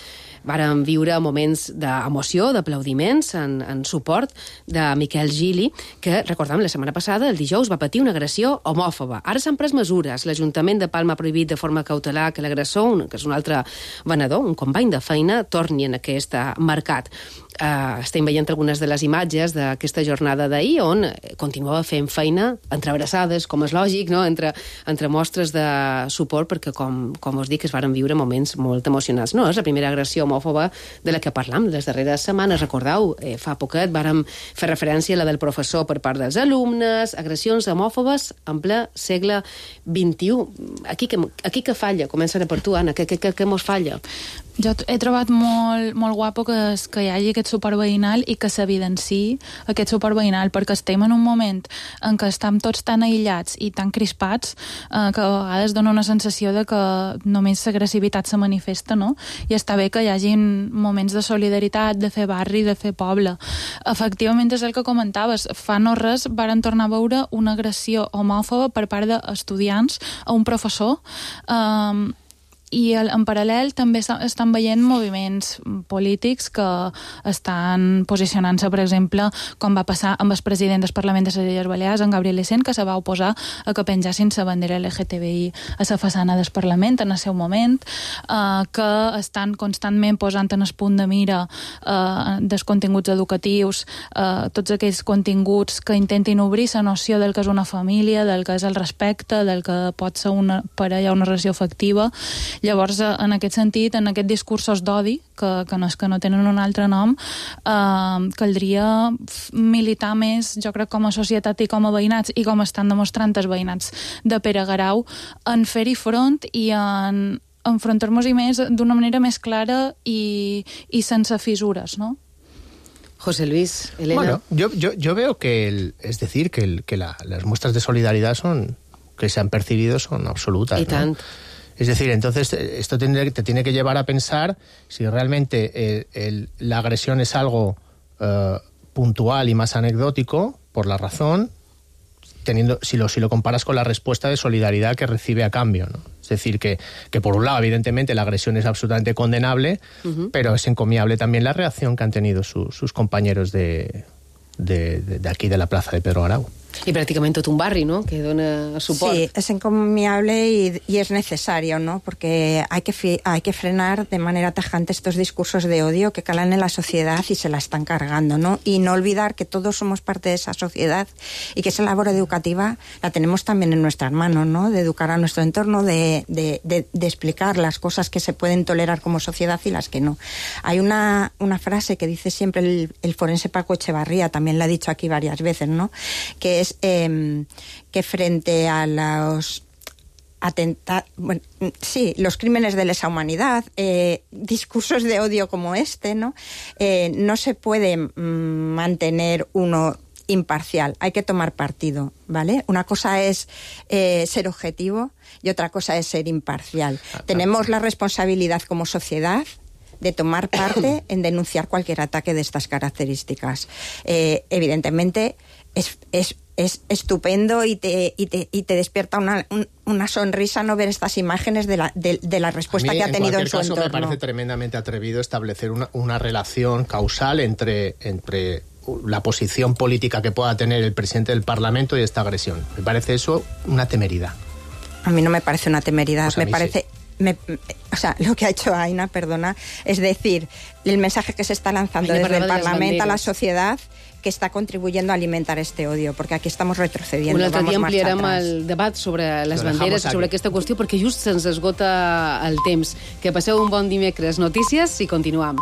[SPEAKER 9] Varen viure moments d'emoció, d'aplaudiments en, en suport de Miquel Gili, que, recordem, la setmana passada, el dijous, va patir una agressió homòfoba. Ara s'han pres mesures. L'Ajuntament de Palma ha prohibit de forma cautelar que l'agressor, que és un altre venedor, un company de feina, torni en aquest mercat. Uh, estem veient algunes de les imatges d'aquesta jornada d'ahir, on continuava fent feina entre abraçades, com és lògic, no? entre, entre mostres de suport, perquè, com, com us dic, es varen viure moments molt emocionants. No és la primera agressió homòfoba de la que parlam les darreres setmanes. Recordeu, eh, fa poquet vàrem fer referència a la del professor per part dels alumnes, agressions homòfobes en ple segle vint-i-u. Aquí que, aquí que falla? Començaré per tu, Anna. Què, què, què mos falla?
[SPEAKER 17] Jo he trobat molt, molt guapo que, es, que hi hagi aquest suport veïnal i que s'evidenciï aquest suport veïnal, perquè estem en un moment en què estem tots tan aïllats i tan crispats eh, que a vegades dona una sensació de que només l'agressivitat se manifesta, no? I està bé que hi hagi moments de solidaritat, de fer barri, de fer poble. Efectivament, és el que comentaves. Fa no res varen tornar a veure una agressió homòfoba per part d'estudiants a un professor. Eh, I en paral·lel també estan veient moviments polítics que estan posicionant-se, per exemple, com va passar amb el president del Parlament de les Illes Balears, en Gabriel Icén, que se va oposar a que penjassin la bandera L G T B I a la façana del Parlament en el seu moment, eh, que estan constantment posant en el punt de mira eh, dels continguts educatius, eh, tots aquells continguts que intentin obrir la noció del que és una família, del que és el respecte, del que pot ser una parella o una relació afectiva. Llavors, en aquest sentit, en aquests discursos d'odi, que, que, no, que no tenen un altre nom, eh, caldria militar més, jo crec, com a societat i com a veïnats, i com estan demostrant els veïnats de Pere Garau, en fer-hi front i en enfrontar-nos-hi més d'una manera més clara i, i sense fissures, ¿no?
[SPEAKER 9] José Luis, Elena.
[SPEAKER 18] Bueno, yo, yo, yo veo que, el, es decir, que, el, que la, las muestras de solidaridad son, que se han percibido son absolutas,
[SPEAKER 9] y
[SPEAKER 18] ¿no?
[SPEAKER 9] tant.
[SPEAKER 18] Es decir, entonces esto te, te tiene que llevar a pensar si realmente el, el, la agresión es algo uh, puntual y más anecdótico, por la razón, teniendo si lo, si lo comparas con la respuesta de solidaridad que recibe a cambio, ¿no? Es decir, que, que por un lado, evidentemente, la agresión es absolutamente condenable, uh-huh. pero es encomiable también la reacción que han tenido su, sus compañeros de, de, de, de aquí, de la plaza de Pedro Garau.
[SPEAKER 9] Y prácticamente todo un barri, ¿no?, que dona suport.
[SPEAKER 16] Sí, es encomiable y, y es necesario, ¿no?, porque hay que, fi, hay que frenar de manera tajante estos discursos de odio que calan en la sociedad y se la están cargando, ¿no? Y no olvidar que todos somos parte de esa sociedad y que esa labor educativa la tenemos también en nuestras manos, ¿no?, de educar a nuestro entorno, de, de, de, de explicar las cosas que se pueden tolerar como sociedad y las que no. Hay una, una frase que dice siempre el, el forense Paco Echevarría, también la ha dicho aquí varias veces, ¿no?, que es eh, que frente a los atentados, bueno, sí, los crímenes de lesa humanidad, eh, discursos de odio como este, ¿no?, eh, no se puede mm, mantener uno imparcial, hay que tomar partido, ¿vale? Una cosa es eh, ser objetivo y otra cosa es ser imparcial. Ah, Tenemos la responsabilidad como sociedad de tomar parte en denunciar cualquier ataque de estas características. Eh, evidentemente, es, es, es estupendo y te, y te, y te despierta una, un, una sonrisa no ver estas imágenes de la, de, de la respuesta
[SPEAKER 18] mí,
[SPEAKER 16] que ha tenido en,
[SPEAKER 18] en
[SPEAKER 16] su
[SPEAKER 18] caso,
[SPEAKER 16] entorno.
[SPEAKER 18] Me parece tremendamente atrevido establecer una, una relación causal entre, entre la posición política que pueda tener el presidente del Parlamento y esta agresión. Me parece eso una temeridad.
[SPEAKER 16] A mí no me parece una temeridad,
[SPEAKER 18] Pues
[SPEAKER 16] me parece... Sí. Me, o sea, lo que ha hecho Aina, perdona, es decir, el mensaje que se está lanzando Aina desde el Parlamento a la sociedad que està contribuyendo a alimentar este odio, perquè aquí estamos retrocediendo.
[SPEAKER 9] Un altre
[SPEAKER 16] dia
[SPEAKER 9] ampliarem el debat sobre les banderes, sobre aquesta qüestió, perquè just se'ns esgota el temps. Que passeu un bon dimecres. Notícies i continuam.